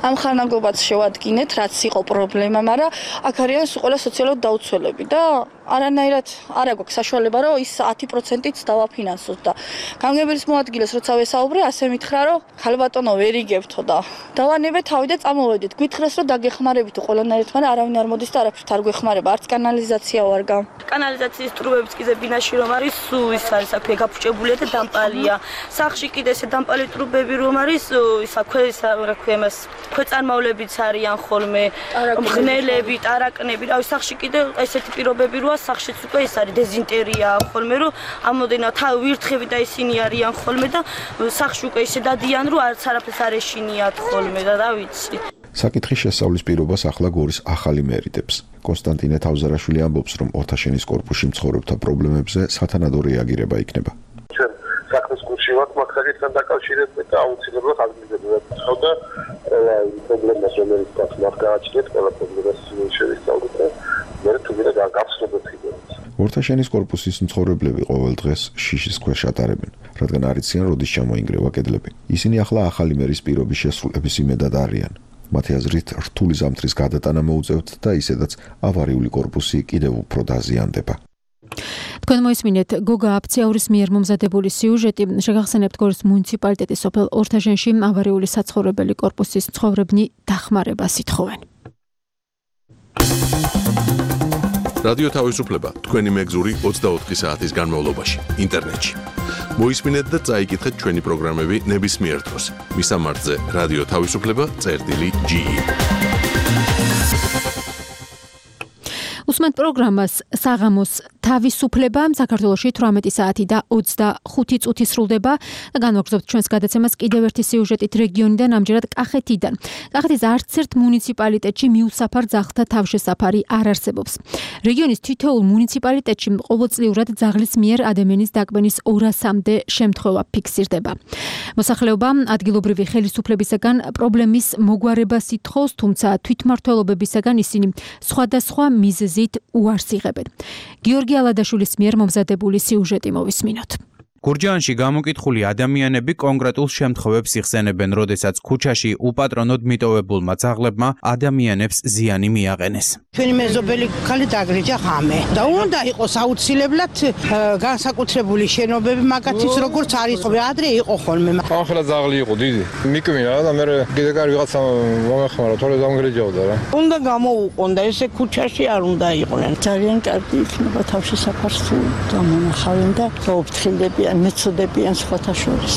ამ ხანაგობაც შევადგინეთ, რაც იყო პრობლემა, მაგრამ აქ არიან ყველა სოციალურად დაუცველები და არანაირად არ აქვს საშუალება, რომ ის 10%-ით დავაფინანსოთ და გამგებლის მოადგილეს როცა ვესაუბრე, ასე მითხრა, რომ ხალბატონო ვერ იგებთო და დავანებე თავი და წამოვედით. გითხრეს, რომ დაგეხმარებითო ყველანაირად, მაგრამ არავინ არ მოდის და არაფერთ არ გვეხმარება, არც კანალიზაცია ვარ გამ. კანალიზაციის ტრუბებიც კიდე ბინაში რომ არის, სულ ის არის აქ გაფუჭებულია და დამპალია. სახში კიდე ესე დამპალი ტრუბები რომ არის, ისა რა ქვია მას, ქვეწარმავლებიც არიან ხოლმე, მღნელები, ტარაკნები, რავი, სახში კიდე ესეთი პირობები როა სახშიც უკვე ეს არის დეზინტერია ხოლმე, რომ ამოდენა ვირთხები და ისინი არიან ხოლმე და სახში უკვე ისე დადიან, რომ არც არაფერს არ ეშინიათ ხოლმე და რა ვიცი. საკითხის შესწავლის პირობას ახლა გორის ახალი მერიდებს. კონსტანტინე თავზარაშვილი ამბობს, რომ ორთაშენის კორპუსში მცხოვრებთა პრობლემებზე სათანადო რეაგირება იქნება. ჩვენ საქმის გულში ვართ მაგ საკითხთან დაკავშირებით და აუცილებლად ადგილობრივად და ყველა პრობლემას რომელიც გვაქვს გააჩნიეთ, ყველა პრობლემას შევისწავლოთ და მე თვითონ გავხსნებთ იქით. ორთაშენის კორპუსის მცხოვრებლები ყოველ დღეს შიშის ქვეშ ატარებენ, რადგან არ იციან როდის ჩამოინგრევა კედლები. ისინი ახლა ახალი მერის პირობის შესრულების იმედად არიან. მათი აზრით, რთული ზამთრის გადატანა მოუწევთ და ისედაც ავარიული კორპუსი კიდევ უფრო დაზიანდება. თქვენ მოისმინეთ გოგა აფციაურის მიერ მომზადებული სიუჟეტი. შეგახსენებთ გორის მუნიციპალიტეტის სოფელ ორთაშენში ავარიული საცხოვრებელი კორპუსის მცხოვრებნი დახმარებას ითხოვენ. რადიო თავისუფლება თქვენი მეგზური 24 საათის განმავლობაში ინტერნეტში. მოისმინეთ და წაიკითხეთ ჩვენი პროგრამები ნებისმიერ დროს. მისამართზე რადიო თავისუფლება.ge უსმენთ პროგრამას საღამოს თავისუფლება საქართველოში 18 საათი და 25 წუთი სრულდება და განვაგრძობთ ჩვენს გადაცემას კიდევ ერთი სიუჟეტით რეგიონიდან, ამჯერად კახეთიდან. კახეთის არც ერთ მუნიციპალიტეტში მიუსაფარ ძაღლთა თავშესაფარი არ არსებობს. რეგიონის თითოეულ მუნიციპალიტეტში ყოველწლიურად ძაღლის მიერ ადამიანის დაკვენის 200-მდე შემთხვევა ფიქსირდება. მოსახლეობა ადგილობრივი ხელისუფლებისაგან პრობლემის მოგვარებას ითხოვს, თუმცა თვითმმართველობებისაგან ისინი სხვადასხვა მიზეზით უარს იღებენ. გიორგი ალადაშვილის მიერ მომზადებული სიუჟეტი მოვისმინოთ. გურჯაანში გამოკითხული ადამიანები კონკრეტულ შემთხვევებს იხსენებენ, როდესაც ქუჩაში უპატრონოდ მიტოვებულმა ძაღლებმა ადამიანებს ზიანი მიაყენეს. ჩვენი მეზობელი ქალი დაგრეჯა ღამე და უნდა იყოს აუცილებლად განსაკუთრებული შენობები მაგათიც როგორც არის ადრე იყო ხოლმე. ახლა ძაღლი იყო დიდი. მიკმინა და მე კიდე კარი ვიღაცა მომეხმარა, თორე დამგრეჯავდა რა. უნდა გამოუყონ და ესე ქუჩაში არ უნდა იყვნენ. ძალიან კარგი იქნება თავშესაფარს თუ გამონახავენ და გაუფრთხილდებიან მეცოდებიან სხვათა შორის.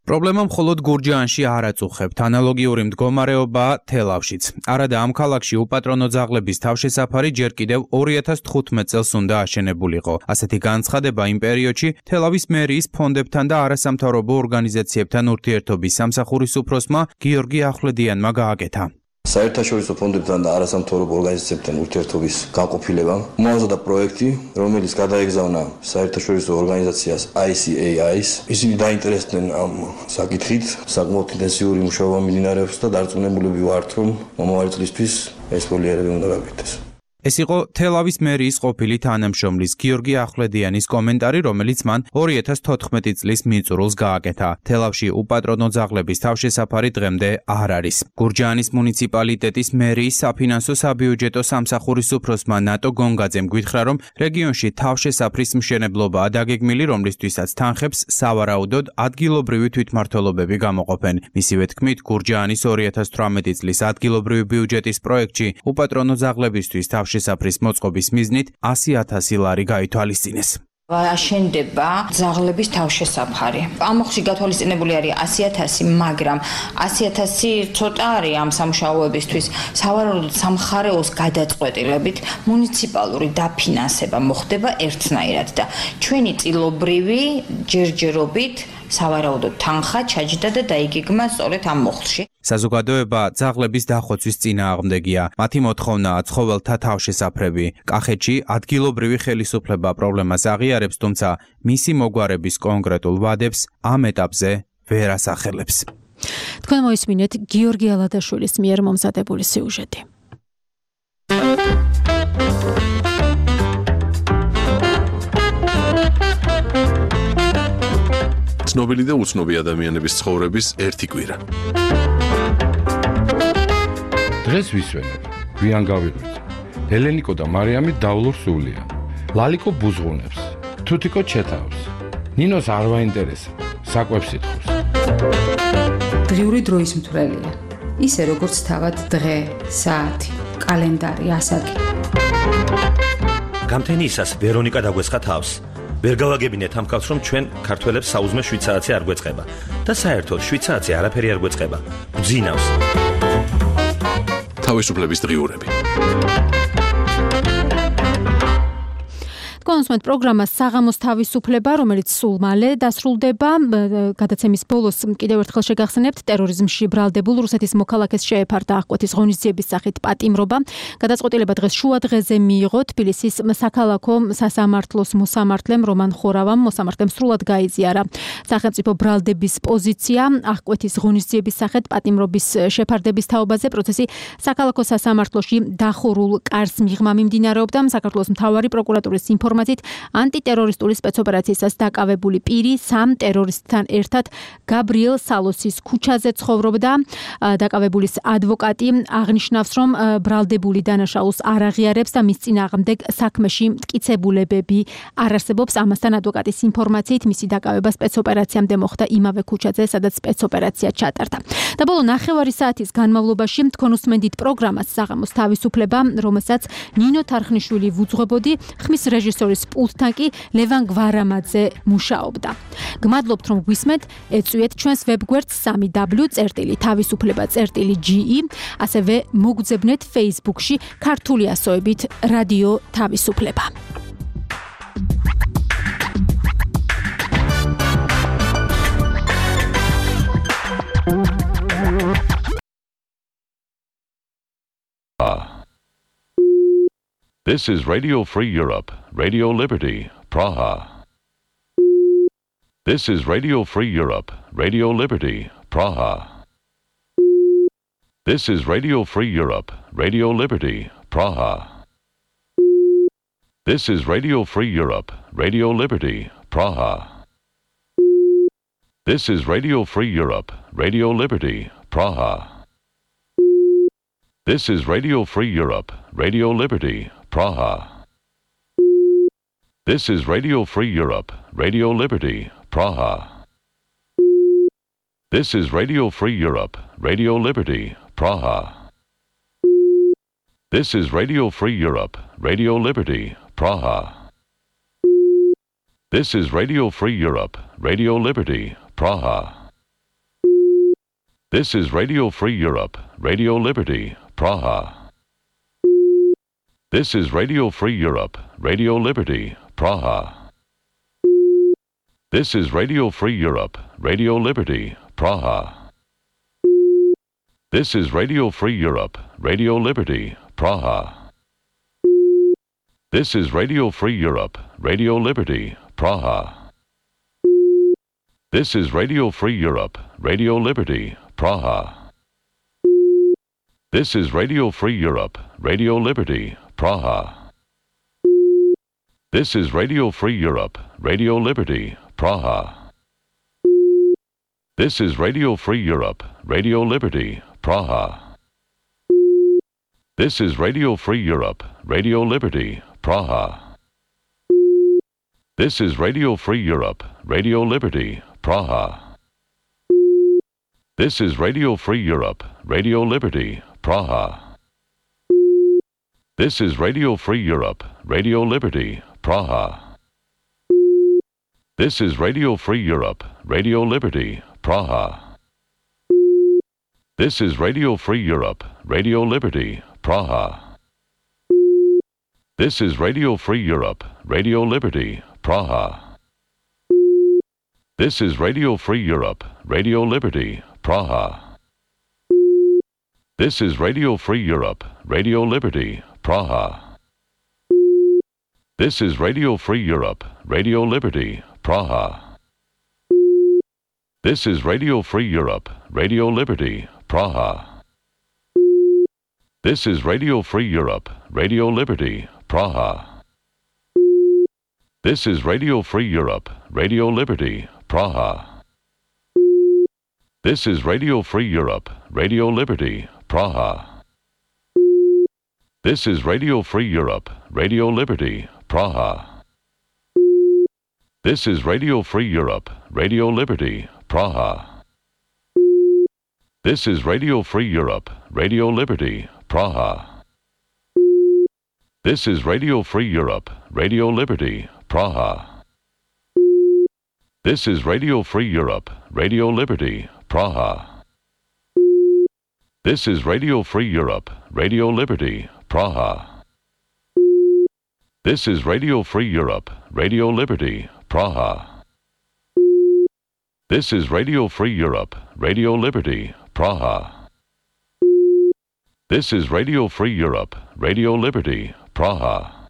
პრობლემა მხოლოდ გურჯაანში არ აწუხებთ, ანალოგიური მდგომარეობაა თელავშიც. არადა ამ ქალაქში უპატრონო ძაღლების თავშესაფარი ჯერ კიდევ 2015 წელს უნდა აშენებულიყო. ასეთი განცხადება იმ პერიოდში თელავის მერიის ფონდებთან და არასამთავრობო ორგანიზაციებთან ურთიერთობის სამსახურის უფროსმა გიორგი ახვლედიანმა გააკეთა. საერთაშორისო ფონდებთან და არასამთავრობო ორგანიზაციებთან ურთიერთობის განყოფილებამ მოაზრდა პროექტი, რომელიც გადაეგზავნა საერთაშორისო ორგანიზაციას ICAI-ს. ისინი დაინტერესდნენ ამ საკითხით, საკმაოდ ინტენსიური მუშაობა მიმდინარეობს და დარწმუნებულები ვართ, რომ მომავალი წლისთვის ეს პროექტი უნდა გაკეთდეს. ეს იყო თელავის მერიის ყოფილი თანამშრომლის გიორგი ახვლედიანის კომენტარი, რომელიც მან 2014 წლის მიწურულს გააკეთა. თელავში უპატრონო ძაღლების თავშესაფარი დღემდე არ არის. გურჯაანის მუნიციპალიტეტის მერიის საფინანსო საბიუჯეტო სამსახურის უფროსმა ნატო გონგაძემ გვითხრა, რომ რეგიონში თავშესაფრის მშენებლობაა დაგეგმილი, რომლისთვისაც თანხებს სავარაუდოდ ადგილობრივი თვითმმართველობები გამოყოფენ. მისივე თქმით, გურჯაანის 2018 წლის ადგილობრივი ბიუჯეტის პროექტში უპატრონო ძაღლებისთვის შესაფრის მოწყობის მიზნით 100,000 ლარი გაითვალისწინეს. აშენდება ძაღლების თავშესაფარი. ამ მოხში გათვალისწინებული არის 100,000, მაგრამ 100,000 ცოტა არის ამ სამუშაოებისთვის. სავარაუდოდ სამხარეოს გადაწყვეტილებით მუნიციპალური დაფინანსება მოხდება ერთნაირად და ჩვენი წილობრივი ჯერჯერობით სავარაუდოდ თანხა ჩაჯდა და დაიგეგმა სწორედ ამ მოხლში. საზოგადოება ძაღლების დახოცვის წინააღმდეგია. მათი მოთხოვნაა ცხოველთა თავშესაფრები. კახეთში ადგილობრივი ხელისუფლება პრობლემას აღიარებს, თუმცა მისი მოგვარების კონკრეტულ ვადებს ამ ეტაპზე ვერ ასახელებს. თქვენ მოისმინეთ გიორგი ალადაშვილის მიერ მომზადებული სიუჟეტი. ცნობილი და უცნობი ადამიანების ცხოვრების ერთი კვირა. დღეს ვისვენებ, გვიან გავიღვიძე. ელენიკო და მარიამი დავლურ სულია. ლალიკო ბუზღუნებს, თუთიკო ჩეთავს. ნინოს არ ვაინტერესა, საკვებს ითხოვს. დღიური დროის მთვრელია. ისე როგორც თავად დღე, საათი, კალენდარი, ასაკი. გამთენიისას ვერონიკა დაგვესხა თავს. ვერ გავაგებინეთ ამ კაცს, რომ ჩვენ ქართველებს საუზმე 7 საათი არ გვეწყება და საერთოდ 7 საათი არაფერი არ გვეწყება. გძინავს. თავისუფლების დღიურები. კონსუმენტ პროგრამა საღამოს თავისუფლება, რომელიც სულ მალე დასრულდება. გადაცემის ბოლოს კიდევ ერთხელ შეგახსენებთ, ტერორიზმში ბრალდებულ რუსეთის მოქალაქეს შეეფარდა აღკვეთის ღონისძიების სახით პატიმრობა. გადაწყვეტილება დღეს შუა დღეზე მიიღო თბილისის საქალაქო სასამართლოს მოსამართლემ რომან ხორავამ. მოსამართლემ სრულად გაიზიარა სახელმწიფო ბრალდების პოზიცია აღკვეთის ღონისძიების სახით პატიმრობის შეფარდების თაობაზე. პროცესი საქალაქო სასამართლოში დახურულ კარს მიღმა მიმდინარეობდა. საქართველოს მთავარი პროკურატურის ინფორმაციით ინფორმაციით, ანტიტერორისტული სპეცოპერაციისას დაკავებული პირი 3 ტერორისტთან ერთად გაბრიელ სალოსის ქუჩაზე ცხოვრობდა. დაკავებულის ადვოკატი აღნიშნავს, რომ ბრალდებული დანაშაულს არ აღიარებს და მის წინააღმდეგ საქმეში მტკიცებულებები არ არსებობს. ამასთან ადვოკატის ინფორმაციით, მისი დაკავება სპეცოპერაციამდე მოხდა იმავე ქუჩაზე, სადაც სპეცოპერაცია ჩატარდა. და ბოლო 9 საათის განმავლობაში თქვენ უსმენდით პროგრამას საღამოს თავისუფლება, რომელსაც ნინო თარხნიშვილი ვუძღვებოდი, ხმის რეჟისორის პულტთან კი ლევან გვარამაძე მუშაობდა. გმადლობთ, რომ გვისმენთ, ეწვიეთ ჩვენს ვებგვერდს www.tavisufleba.ge, ასევე მოგძებნეთ Facebook-ში ქართული ასოებით რადიო თავისუფლება. This is Radio Free Europe, Radio Liberty, Praha. This is Radio Free Europe, Radio Liberty, Praha. This is Radio Free Europe, Radio Liberty, Praha. This is Radio Free Europe, Radio Liberty, Praha. This is Radio Free Europe, Radio Liberty, Praha. This is Radio Free Europe, Radio Liberty, Praha. This is Radio Free Europe, Radio Liberty, Praha. This is Radio Free Europe, Radio Liberty, Praha. This is Radio Free Europe, Radio Liberty, Praha. This is Radio Free Europe, Radio Liberty, Praha. This is Radio Free Europe, Radio Liberty, Praha. This is Radio Free Europe, Radio Liberty, Praha. This is Radio Free Europe, Radio Liberty, Praha. This is Radio Free Europe, Radio Liberty, Praha. This is Radio Free Europe, Radio Liberty, Praha. This is Radio Free Europe, Radio Liberty, Praha. This is Radio Free Europe, Radio Liberty, Praha. This is Radio Free Europe, Radio Liberty, Praha. This is Radio Free Europe, Radio Liberty, Praha. This is Radio Free Europe, Radio Liberty, Praha. This is Radio Free Europe, Radio Liberty, Praha. This is Radio Free Europe, Radio Liberty, Praha. This is Radio Free Europe, Radio Liberty, Praha. This is Radio Free Europe, Radio Liberty, Praha. This is Radio Free Europe, Radio Liberty, Praha. This is Radio Free Europe, Radio Liberty, Praha. This is Radio Free Europe, Radio Liberty, Praha. This is Radio Free Europe, Radio Liberty, Praha. This is Radio Free Europe, Radio Liberty, Praha. This is Radio Free Europe, Radio Liberty, Praha. This is Radio Free Europe, Radio Liberty, Praha. This is Radio Free Europe, Radio Liberty, Praha. This is Radio Free Europe, Radio Liberty, Praha. This is Radio Free Europe, Radio Liberty, Praha. This is Radio Free Europe, Radio Liberty, Praha. This is Radio Free Europe, Radio Liberty, Praha. This is Radio Free Europe, Radio Liberty, Praha. This is Radio Free Europe, Radio Liberty, Praha. This is Radio Free Europe, Radio Liberty, Praha. This is Radio Free Europe, Radio Liberty, Praha. This is Radio Free Europe, Radio Liberty, Praha. This is Radio Free Europe, Radio Liberty, Praha.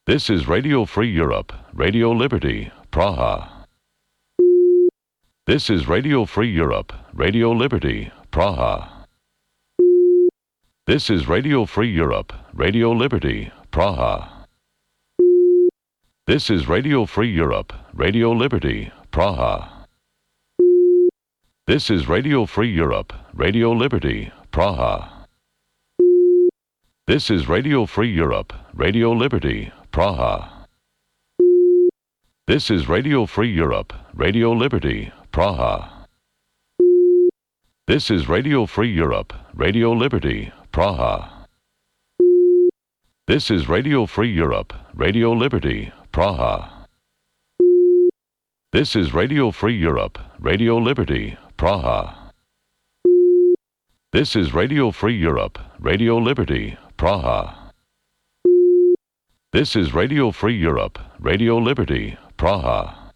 This is Radio Free Europe, Radio Liberty, Praha. This is Radio Free Europe, Radio Liberty, Praha. This is Radio Free Europe, Radio Liberty, Praha. This is Radio Free Europe, Radio Liberty, Praha. This is Radio Free Europe, Radio Liberty, Praha. This is Radio Free Europe, Radio Liberty, Praha. This is Radio Free Europe, Radio Liberty, Praha. This is Radio Free Europe, Radio Liberty, Praha. This is Radio Free Europe, Radio Liberty, Praha. This is Radio Free Europe, Radio Liberty, Praha. This is Radio Free Europe, Radio Liberty, Praha. This is Radio Free Europe, Radio Liberty, Praha.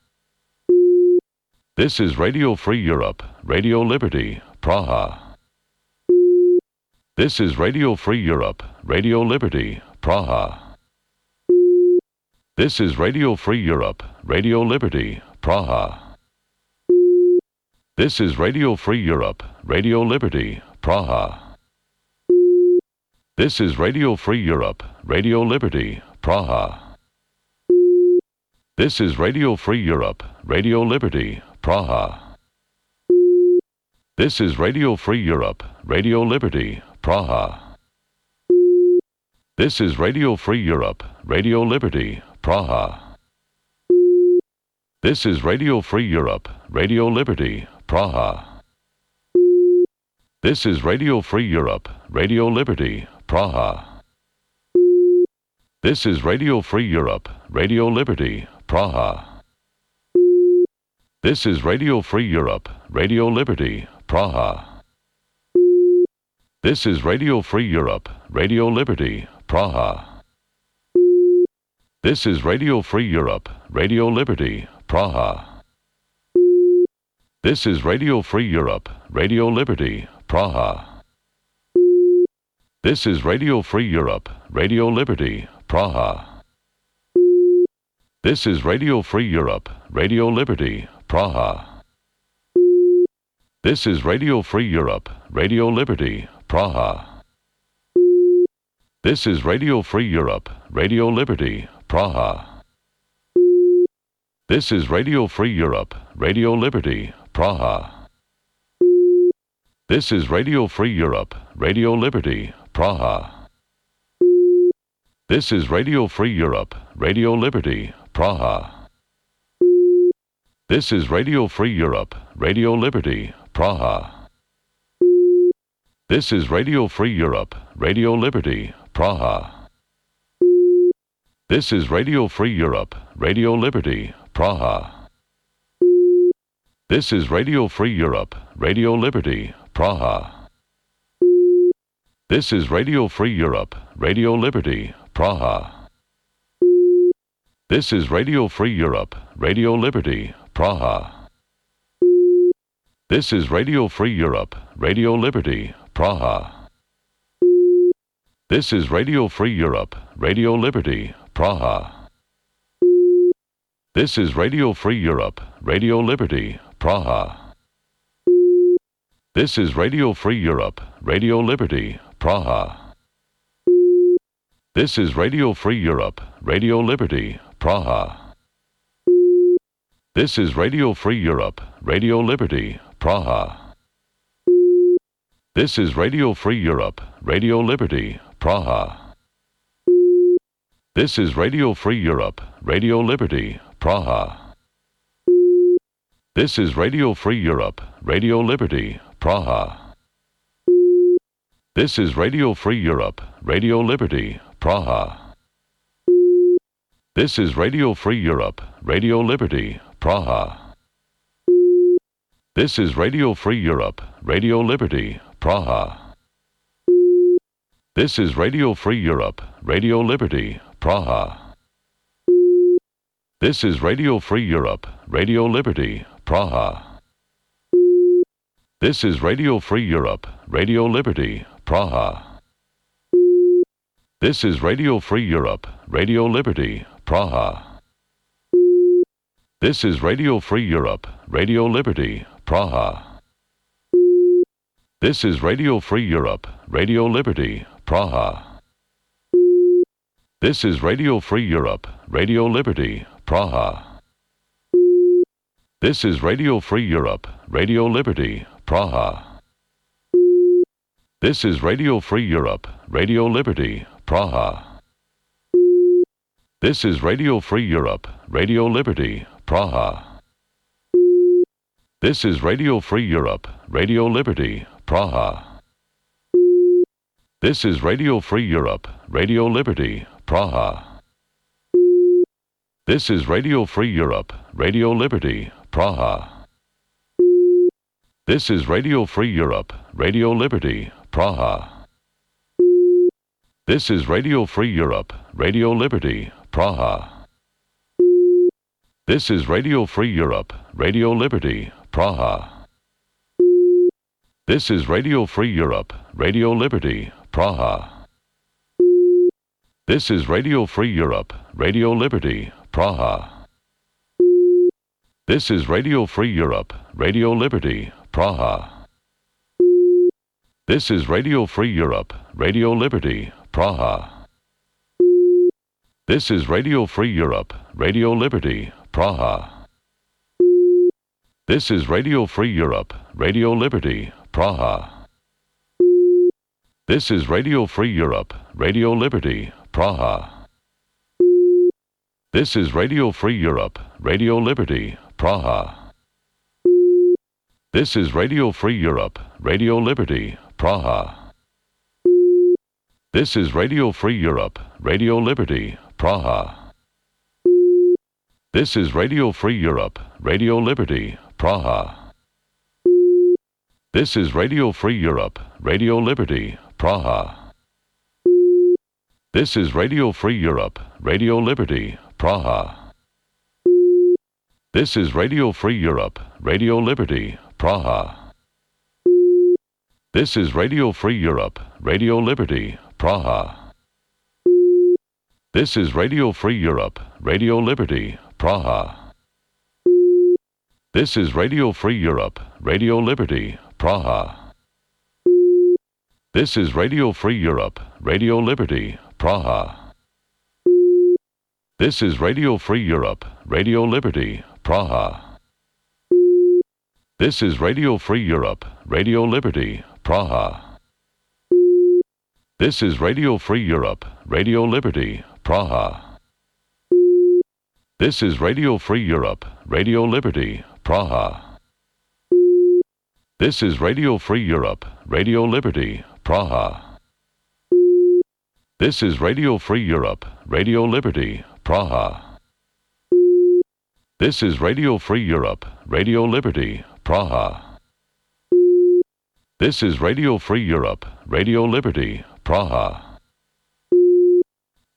This is Radio Free Europe, Radio Liberty, Praha. This is Radio Free Europe, Radio Liberty, Praha. This is Radio Free Europe, Radio Liberty, Praha. This is Radio Free Europe, Radio Liberty, Praha. This is Radio Free Europe, Radio Liberty, Praha. This is Radio Free Europe, Radio Liberty, Praha. This is Radio Free Europe, Radio Liberty, Praha. This is Radio Free Europe, Radio Liberty, Praha. This is Radio Free Europe, Radio Liberty, Praha. This is Radio Free Europe, Radio Liberty, Praha. This is Radio Free Europe, Radio Liberty, Praha. This is Radio Free Europe, Radio Liberty, Praha. This is Radio Free Europe, Radio Liberty, Praha. This is Radio Free Europe, Radio Liberty, Praha. This is Radio Free Europe, Radio Liberty, Praha. This is Radio Free Europe, Radio Liberty, Praha. This is Radio Free Europe, Radio Liberty, Praha. This is Radio Free Europe, Radio Liberty, Praha. This is Radio Free Europe, Radio Liberty, Praha. This is Radio Free Europe, Radio Liberty, Praha. This is Radio Free Europe, Radio Liberty, Praha. This is Radio Free Europe, Radio Liberty, Praha. This is Radio Free Europe, Radio Liberty, Praha. This is Radio Free Europe, Radio Liberty, Praha. This is Radio Free Europe, Radio Liberty, Praha. This is Radio Free Europe, Radio Liberty, Praha. This is Radio Free Europe, Radio Liberty, Praha. This is Radio Free Europe, Radio Liberty, Praha. This is Radio Free Europe, Radio Liberty, Praha. This is Radio Free Europe, Radio Liberty, Praha. This is Radio Free Europe, Radio Liberty, Praha. This is Radio Free Europe, Radio Liberty, Praha. This is Radio Free Europe, Radio Liberty, Praha. This is Radio Free Europe, Radio Liberty, Praha. This is Radio Free Europe, Radio Liberty, Praha. This is Radio Free Europe, Radio Liberty, Praha. This is Radio Free Europe, Radio Liberty, Praha. This is Radio Free Europe, Radio Liberty, Praha. This is Radio Free Europe, Radio Liberty, Praha. This is Radio Free Europe, Radio Liberty, Praha. This is Radio Free Europe, Radio Liberty, Praha. This is Radio Free Europe, Radio Liberty, Praha. This is Radio Free Europe, Radio Liberty, Praha. This is Radio Free Europe, Radio Liberty, Praha. This is Radio Free Europe, Radio Liberty, Praha. This is Radio Free Europe, Radio Liberty, Praha. This is Radio Free Europe, Radio Liberty, Praha. This is Radio Free Europe, Radio Liberty, Praha. This is Radio Free Europe, Radio Liberty, Praha. This is Radio Free Europe, Radio Liberty, Praha. This is Radio Free Europe, Radio Liberty, Praha. This is Radio Free Europe, Radio Liberty, Praha. This is Radio Free Europe, Radio Liberty, Praha. This is Radio Free Europe, Radio Liberty, Praha. This is Radio Free Europe, Radio Liberty, Praha. This is Radio Free Europe, Radio Liberty, Praha. This is Radio Free Europe, Radio Liberty, Praha. This is Radio Free Europe, Radio Liberty, Praha. This is Radio Free Europe, Radio Liberty, Praha. This is Radio Free Europe, Radio Liberty, Praha. This is Radio Free Europe, Radio Liberty, Praha. This is Radio Free Europe, Radio Liberty, Praha. This is Radio Free Europe, Radio Liberty, Praha. This is Radio Free Europe, Radio Liberty, Praha. This is Radio Free Europe, Radio Liberty, Praha. This is Radio Free Europe, Radio Liberty, Praha. This is Radio Free Europe, Radio Liberty, Praha. This is Radio Free Europe, Radio Liberty, Praha. This is Radio Free Europe, Radio Liberty, Praha. This is Radio Free Europe, Radio Liberty, Praha. This is Radio Free Europe, Radio Liberty, Praha. This is Radio Free Europe, Radio Liberty, Praha. This is Radio Free Europe, Radio Liberty, Praha. This is Radio Free Europe, Radio Liberty, Praha. This is Radio Free Europe, Radio Liberty, Praha. This is Radio Free Europe, Radio Liberty, Praha. This is Radio Free Europe, Radio Liberty, Praha. This is Radio Free Europe, Radio Liberty, Praha. This is Radio Free Europe, Radio Liberty, Praha. This is Radio Free Europe, Radio Liberty, Praha. This is Radio Free Europe, Radio Liberty, Praha. This is Radio Free Europe, Radio Liberty, Praha.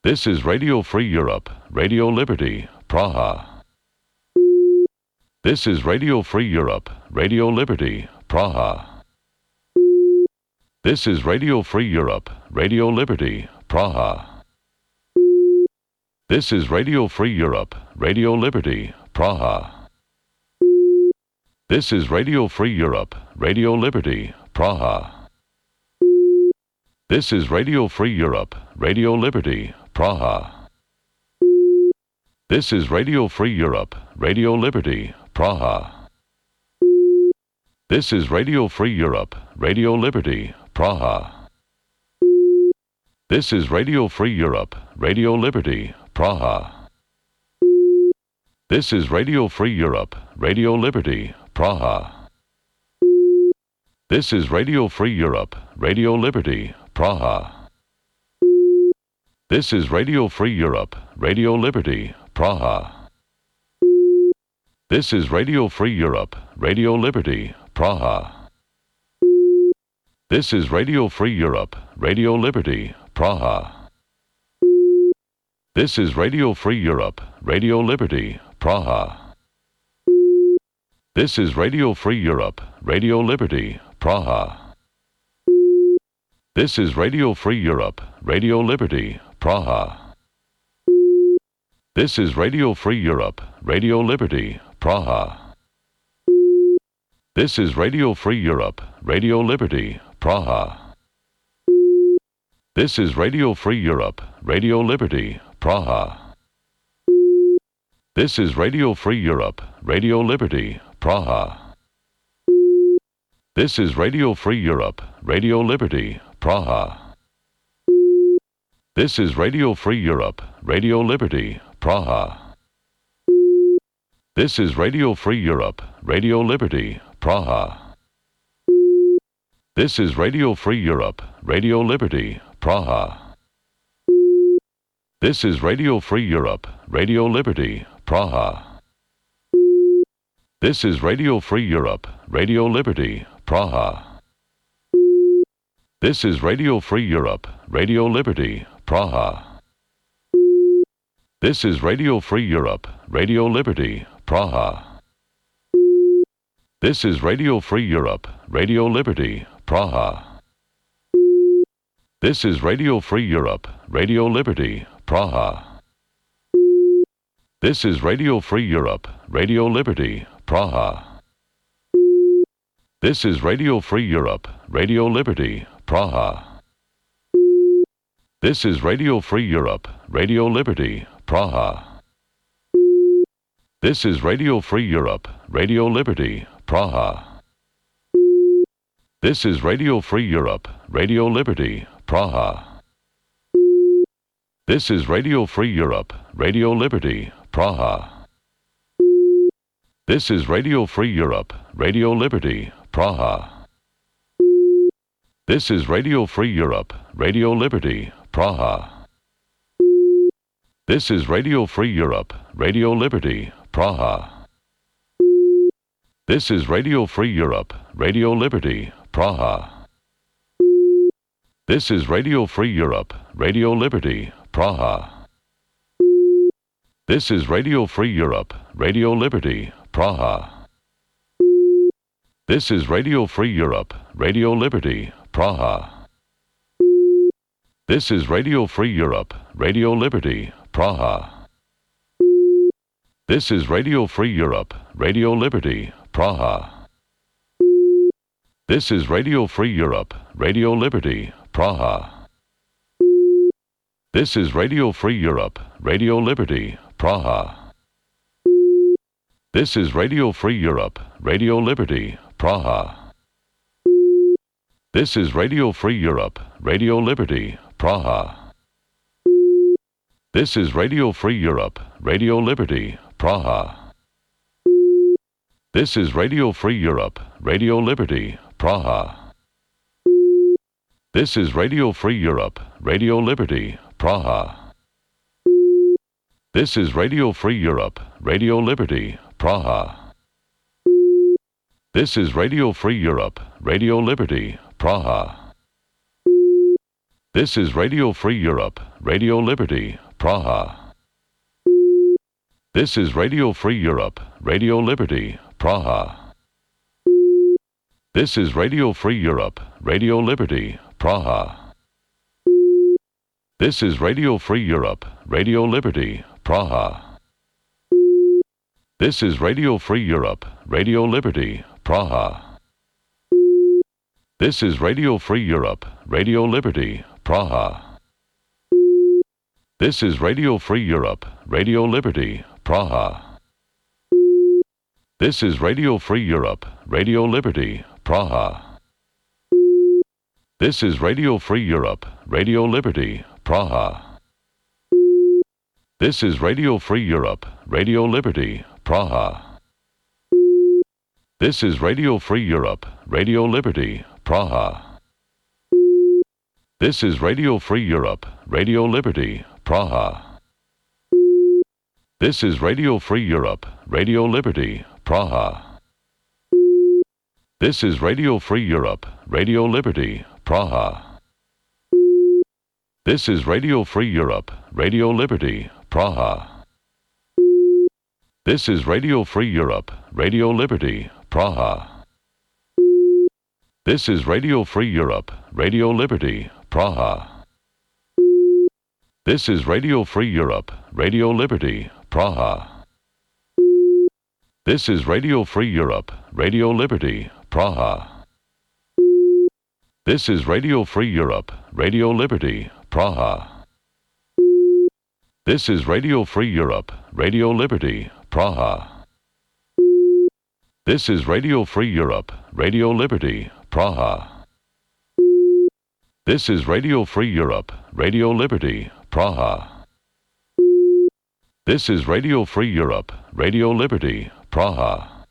This is Radio Free Europe, Radio Liberty, Praha. This is Radio Free Europe, Radio Liberty, Praha. This is Radio Free Europe, Radio Liberty, Praha. This is Radio Free Europe, Radio Liberty, Praha. This is Radio Free Europe, Radio Liberty, Praha. This is Radio Free Europe, Radio Liberty, Praha. This is Radio Free Europe, Radio Liberty, Praha. This is Radio Free Europe, Radio Liberty, Praha. This is Radio Free Europe, Radio Liberty, Praha. This is Radio Free Europe, Radio Liberty, Praha. This is Radio Free Europe, Radio Liberty, Praha. This is Radio Free Europe, Radio Liberty, Praha. This is Radio Free Europe, Radio Liberty, Praha. This is Radio Free Europe, Radio Liberty, Praha. This is Radio Free Europe, Radio Liberty, Praha. This is Radio Free Europe, Radio Liberty, Praha. This is Radio Free Europe, Radio Liberty, Praha. This is Radio Free Europe, Radio Liberty, Praha. This is Radio Free Europe, Radio Liberty, Praha. This is Radio Free Europe, Radio Liberty, Praha. This is Radio Free Europe, Radio Liberty, Praha. This is Radio Free Europe, Radio Liberty, Praha. This is Radio Free Europe, Radio Liberty, Praha. This is Radio Free Europe, Radio Liberty, Praha. This is Radio Free Europe, Radio Liberty, Praha. This is Radio Free Europe, Radio Liberty, Praha. This is Radio Free Europe, Radio Liberty, Praha. This is Radio Free Europe, Radio Liberty, Praha. This is Radio Free Europe, Radio Liberty, Praha. This is Radio Free Europe, Radio Liberty, Praha. This is Radio Free Europe, Radio Liberty, Praha. This is Radio Free Europe, Radio Liberty, Praha. This is Radio Free Europe, Radio Liberty, Praha. This is Radio Free Europe, Radio Liberty, Praha. This is Radio Free Europe, Radio Liberty, Praha. This is Radio Free Europe, Radio Liberty, Praha. This is Radio Free Europe, Radio Liberty, Praha. This is Radio Free Europe, Radio Liberty, Praha. This is Radio Free Europe, Radio Liberty, Praha. This is Radio Free Europe, Radio Liberty, Praha. This is Radio Free Europe, Radio Liberty, Praha. This is Radio Free Europe, Radio Liberty, Praha. This is Radio Free Europe, Radio Liberty, Praha. This is Radio Free Europe, Radio Liberty, Praha. This is Radio Free Europe, Radio Liberty, Praha. This is Radio Free Europe, Radio Liberty, Praha. This is Radio Free Europe, Radio Liberty, Praha. This is Radio Free Europe, Radio Liberty, Praha. This is Radio Free Europe, Radio Liberty, Praha. This is Radio Free Europe, Radio Liberty, Praha. This is Radio Free Europe, Radio Liberty, Praha. This is Radio Free Europe, Radio Liberty, Praha. This is Radio Free Europe, Radio Liberty, Praha. This is Radio Free Europe, Radio Liberty, Praha. This is Radio Free Europe, Radio Liberty, Praha. This is Radio Free Europe, Radio Liberty, Praha. This is Radio Free Europe, Radio Liberty, Praha. This is Radio Free Europe, Radio Liberty, Praha. This is Radio Free Europe, Radio Liberty, Praha. This is Radio Free Europe, Radio Liberty, Praha. This is Radio Free Europe, Radio Liberty, Praha. This is Radio Free Europe, Radio Liberty, Praha. This is Radio Free Europe, Radio Liberty, Praha. This is Radio Free Europe, Radio Liberty, Praha. This is Radio Free Europe, Radio Liberty, Praha. This is Radio Free Europe, Radio Liberty, Praha. This is Radio Free Europe, Radio Liberty, Praha. This is Radio Free Europe, Radio Liberty, Praha. This is Radio Free Europe, Radio Liberty, Praha. This is Radio Free Europe, Radio Liberty, Praha. This is Radio Free Europe, Radio Liberty, Praha. This is Radio Free Europe, Radio Liberty, Praha. This is Radio Free Europe, Radio Liberty, Praha. This is Radio Free Europe, Radio Liberty, Praha. This is Radio Free Europe, Radio Liberty, Praha. This is Radio Free Europe, Radio Liberty, Praha. This is Radio Free Europe, Radio Liberty, Praha. This is Radio Free Europe, Radio Liberty, Praha. This is Radio Free Europe, Radio Liberty, Praha.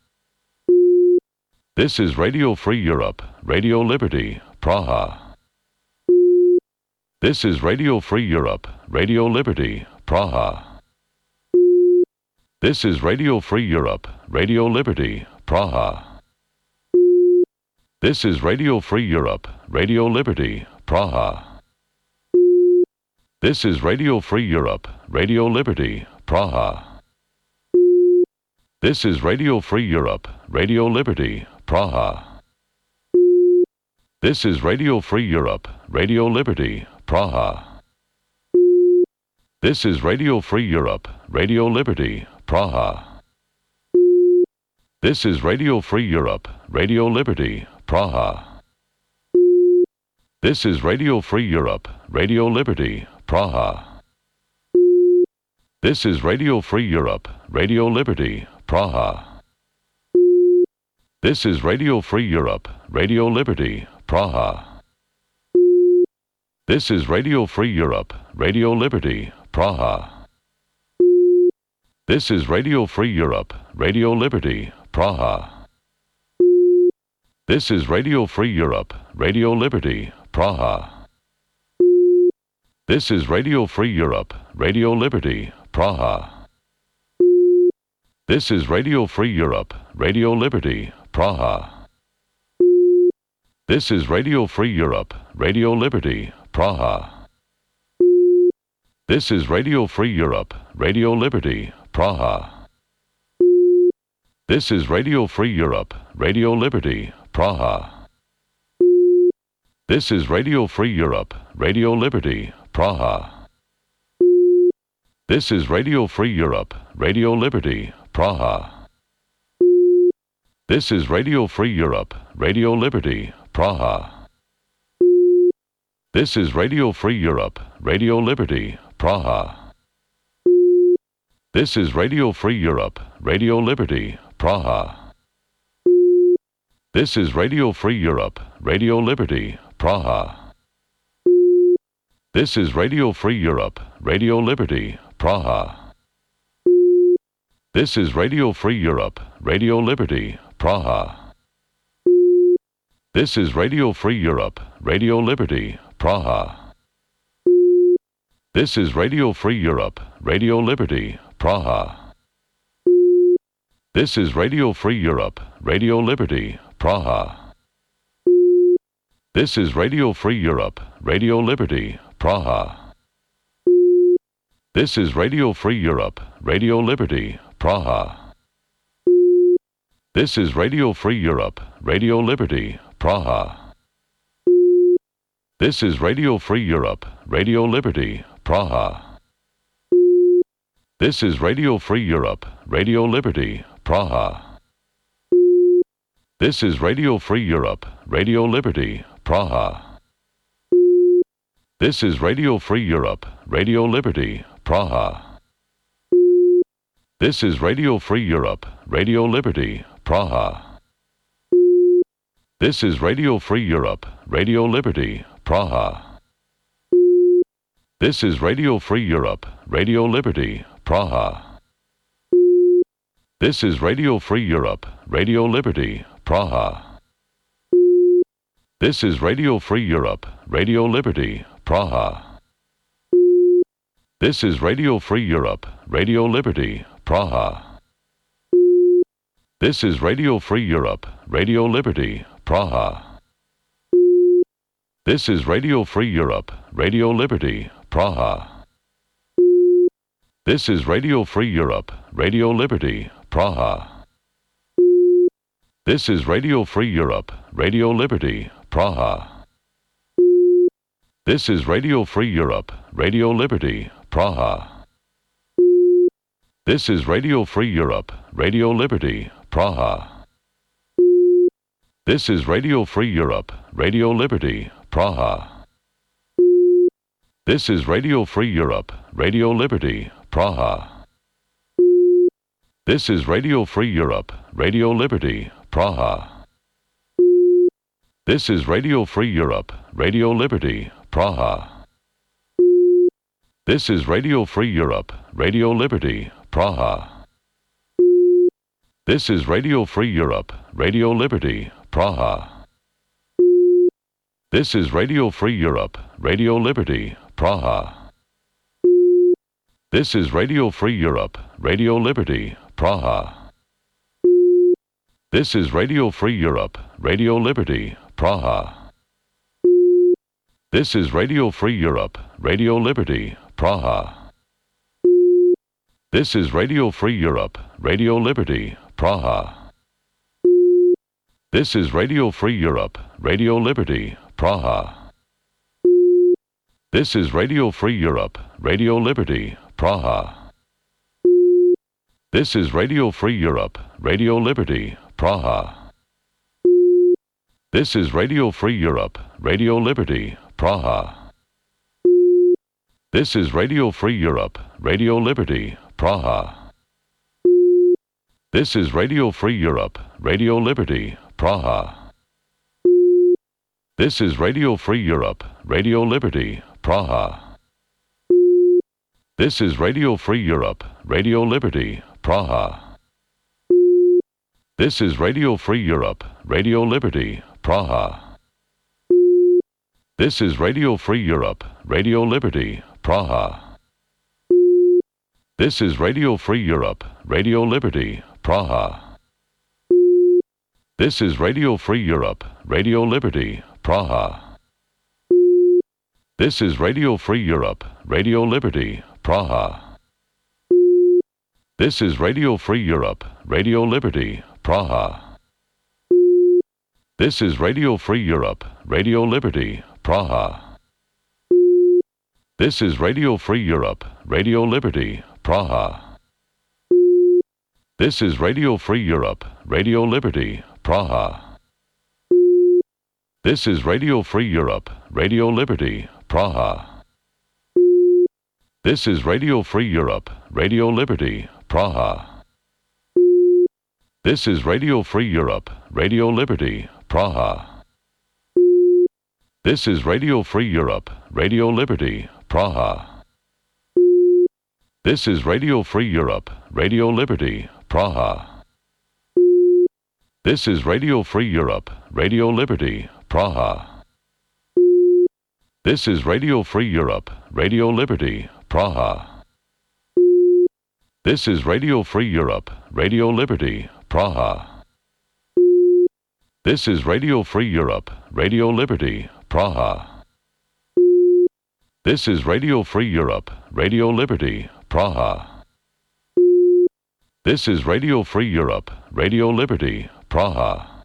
This is Radio Free Europe, Radio Liberty, Praha. This is Radio Free Europe, Radio Liberty, Praha. This is Radio Free Europe, Radio Liberty, Praha. This is Radio Free Europe, Radio Liberty, Praha. This is Radio Free Europe, Radio Liberty, Praha. This is Radio Free Europe, Radio Liberty, Praha. This is Radio Free Europe, Radio Liberty, Praha. This is Radio Free Europe, Radio Liberty, Praha. This is Radio Free Europe, Radio Liberty, Praha. This is Radio Free Europe, Radio Liberty, Praha. This is Radio Free Europe, Radio Liberty, Praha. This is Radio Free Europe, Radio Liberty, Praha. This is Radio Free Europe, Radio Liberty, Praha. This is Radio Free Europe, Radio Liberty, Praha. This is Radio Free Europe, Radio Liberty, Praha. This is Radio Free Europe, Radio Liberty, Praha. This is Radio Free Europe, Radio Liberty, Praha. This is Radio Free Europe, Radio Liberty, Praha. This is Radio Free Europe, Radio Liberty, Praha. This is Radio Free Europe, Radio Liberty, Praha. This is Radio Free Europe, Radio Liberty, Praha. This is Radio Free Europe, Radio Liberty, Praha. This is Radio Free Europe, Radio Liberty, Praha. This is Radio Free Europe, Radio Liberty, Praha. This is Radio Free Europe, Radio Liberty, Praha. This is Radio Free Europe, Radio Liberty, Praha. This is Radio Free Europe, Radio Liberty, Praha. This is Radio Free Europe, Radio Liberty, Praha. This is Radio Free Europe, Radio Liberty, Praha. This is Radio Free Europe, Radio Liberty, Praha. This is Radio Free Europe, Radio Liberty, Praha. This is Radio Free Europe, Radio Liberty, Praha. This is Radio Free Europe, Radio Liberty, Praha. This is Radio Free Europe, Radio Liberty, Praha. This is Radio Free Europe, Radio Liberty, Praha. This is Radio Free Europe, Radio Liberty, Praha. This is Radio Free Europe, Radio Liberty, Praha. This is Radio Free Europe, Radio Liberty, Praha. This is Radio Free Europe, Radio Liberty, Praha. This is Radio Free Europe, Radio Liberty, Praha. This is Radio Free Europe, Radio Liberty, Praha. This is Radio Free Europe, Radio Liberty, Praha. This is Radio Free Europe, Radio Liberty, Praha. This is Radio Free Europe, Radio Liberty, Praha. This is Radio Free Europe, Radio Liberty, Praha. This is Radio Free Europe, Radio Liberty, Praha. This is Radio Free Europe, Radio Liberty, Praha. This is Radio Free Europe, Radio Liberty, Praha. This is Radio Free Europe, Radio Liberty, Praha. This is Radio Free Europe, Radio Liberty, Praha. This is Radio Free Europe, Radio Liberty, Praha. This is Radio Free Europe, Radio Liberty, Praha. This is Radio Free Europe, Radio Liberty, Praha. This is Radio Free Europe, Radio Liberty, Praha. This is Radio Free Europe, Radio Liberty, Praha. This is Radio Free Europe, Radio Liberty, Praha. This is Radio Free Europe, Radio Liberty, Praha. This is Radio Free Europe, Radio Liberty, Praha. This is Radio Free Europe, Radio Liberty, Praha. This is Radio Free Europe, Radio Liberty, Praha. This is Radio Free Europe, Radio Liberty, Praha. This is Radio Free Europe, Radio Liberty, Praha. This is Radio Free Europe, Radio Liberty, Praha. This is Radio Free Europe, Radio Liberty, Praha. This is Radio Free Europe, Radio Liberty, Praha. This is Radio Free Europe, Radio Liberty, Praha. This is Radio Free Europe, Radio Liberty, Praha. This is Radio Free Europe, Radio Liberty, Praha. This is Radio Free Europe, Radio Liberty, Praha. This is Radio Free Europe, Radio Liberty, Praha. This is Radio Free Europe, Radio Liberty, Praha. This is Radio Free Europe, Radio Liberty, Praha. This is Radio Free Europe, Radio Liberty, Praha. This is Radio Free Europe, Radio Liberty, Praha. This is Radio Free Europe, Radio Liberty, Praha. This is Radio Free Europe, Radio Liberty, Praha. This is Radio Free Europe, Radio Liberty, Praha. This is Radio Free Europe, Radio Liberty, Praha. This is Radio Free Europe, Radio Liberty, Praha. This is Radio Free Europe, Radio Liberty, Praha. This is Radio Free Europe, Radio Liberty, Praha. This is Radio Free Europe, Radio Liberty, Praha. This is Radio Free Europe, Radio Liberty, Praha. This is Radio Free Europe, Radio Liberty, Praha. This is Radio Free Europe, Radio Liberty, Praha. This is Radio Free Europe, Radio Liberty, Praha. This is Radio Free Europe, Radio Liberty, Praha. This is Radio Free Europe, Radio Liberty, Praha. This is Radio Free Europe, Radio Liberty, Praha.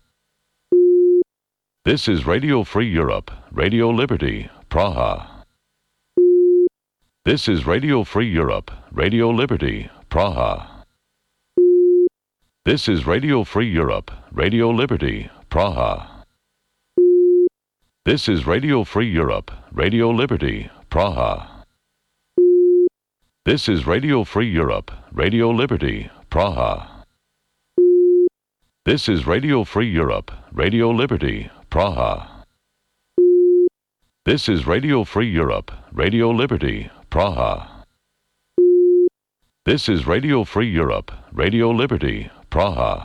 This is Radio Free Europe, Radio Liberty, Praha. This is Radio Free Europe, Radio Liberty, Praha. This is Radio Free Europe, Radio Liberty, Praha. This is Radio Free Europe, Radio Liberty, Praha. This is Radio Free Europe, Radio Liberty, Praha. This is Radio Free Europe, Radio Liberty, Praha. This is Radio Free Europe, Radio Liberty, Praha. This is Radio Free Europe, Radio Liberty, Praha.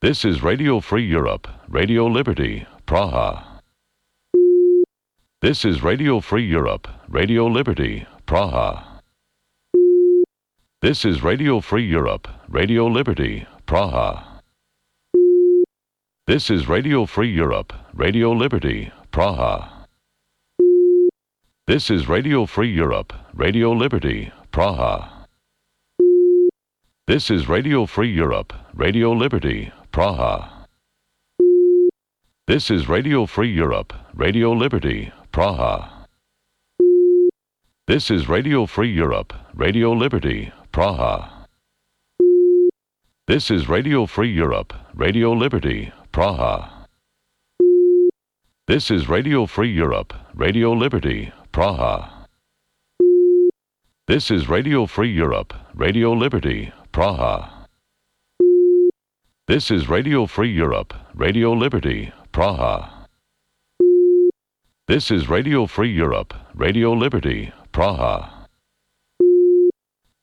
This is Radio Free Europe, Radio Liberty, Praha. This is Radio Free Europe, Radio Liberty, Praha. This is Radio Free Europe, Radio Liberty, Praha. This is Radio Free Europe, Radio Liberty, Praha. This is Radio Free Europe, Radio Liberty, Praha. This is Radio Free Europe, Radio Liberty, Praha. This is Radio Free Europe, Radio Liberty, Praha. This is Radio Free Europe, Radio Liberty, Praha. This is Radio Free Europe, Radio Liberty, Praha. This is Radio Free Europe, Radio Liberty, Praha. This is Radio Free Europe, Radio Liberty, Praha. This is Radio Free Europe, Radio Liberty, Praha. This is Radio Free Europe, Radio Liberty, Praha.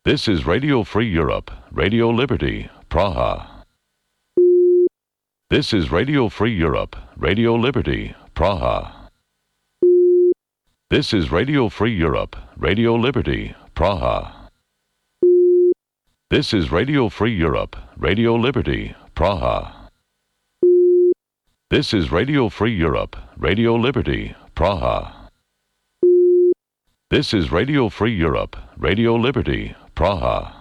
This is Radio Free Europe, Radio Liberty, Praha. This is Radio Free Europe, Radio Liberty, Praha. This is Radio Free Europe, Radio Liberty, Praha. This is Radio Free Europe, Radio Liberty, Praha. This is Radio Free Europe, Radio Liberty, Praha. This is Radio Free Europe, Radio Liberty, Praha.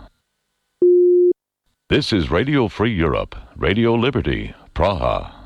This is Radio Free Europe, Radio Liberty, Praha.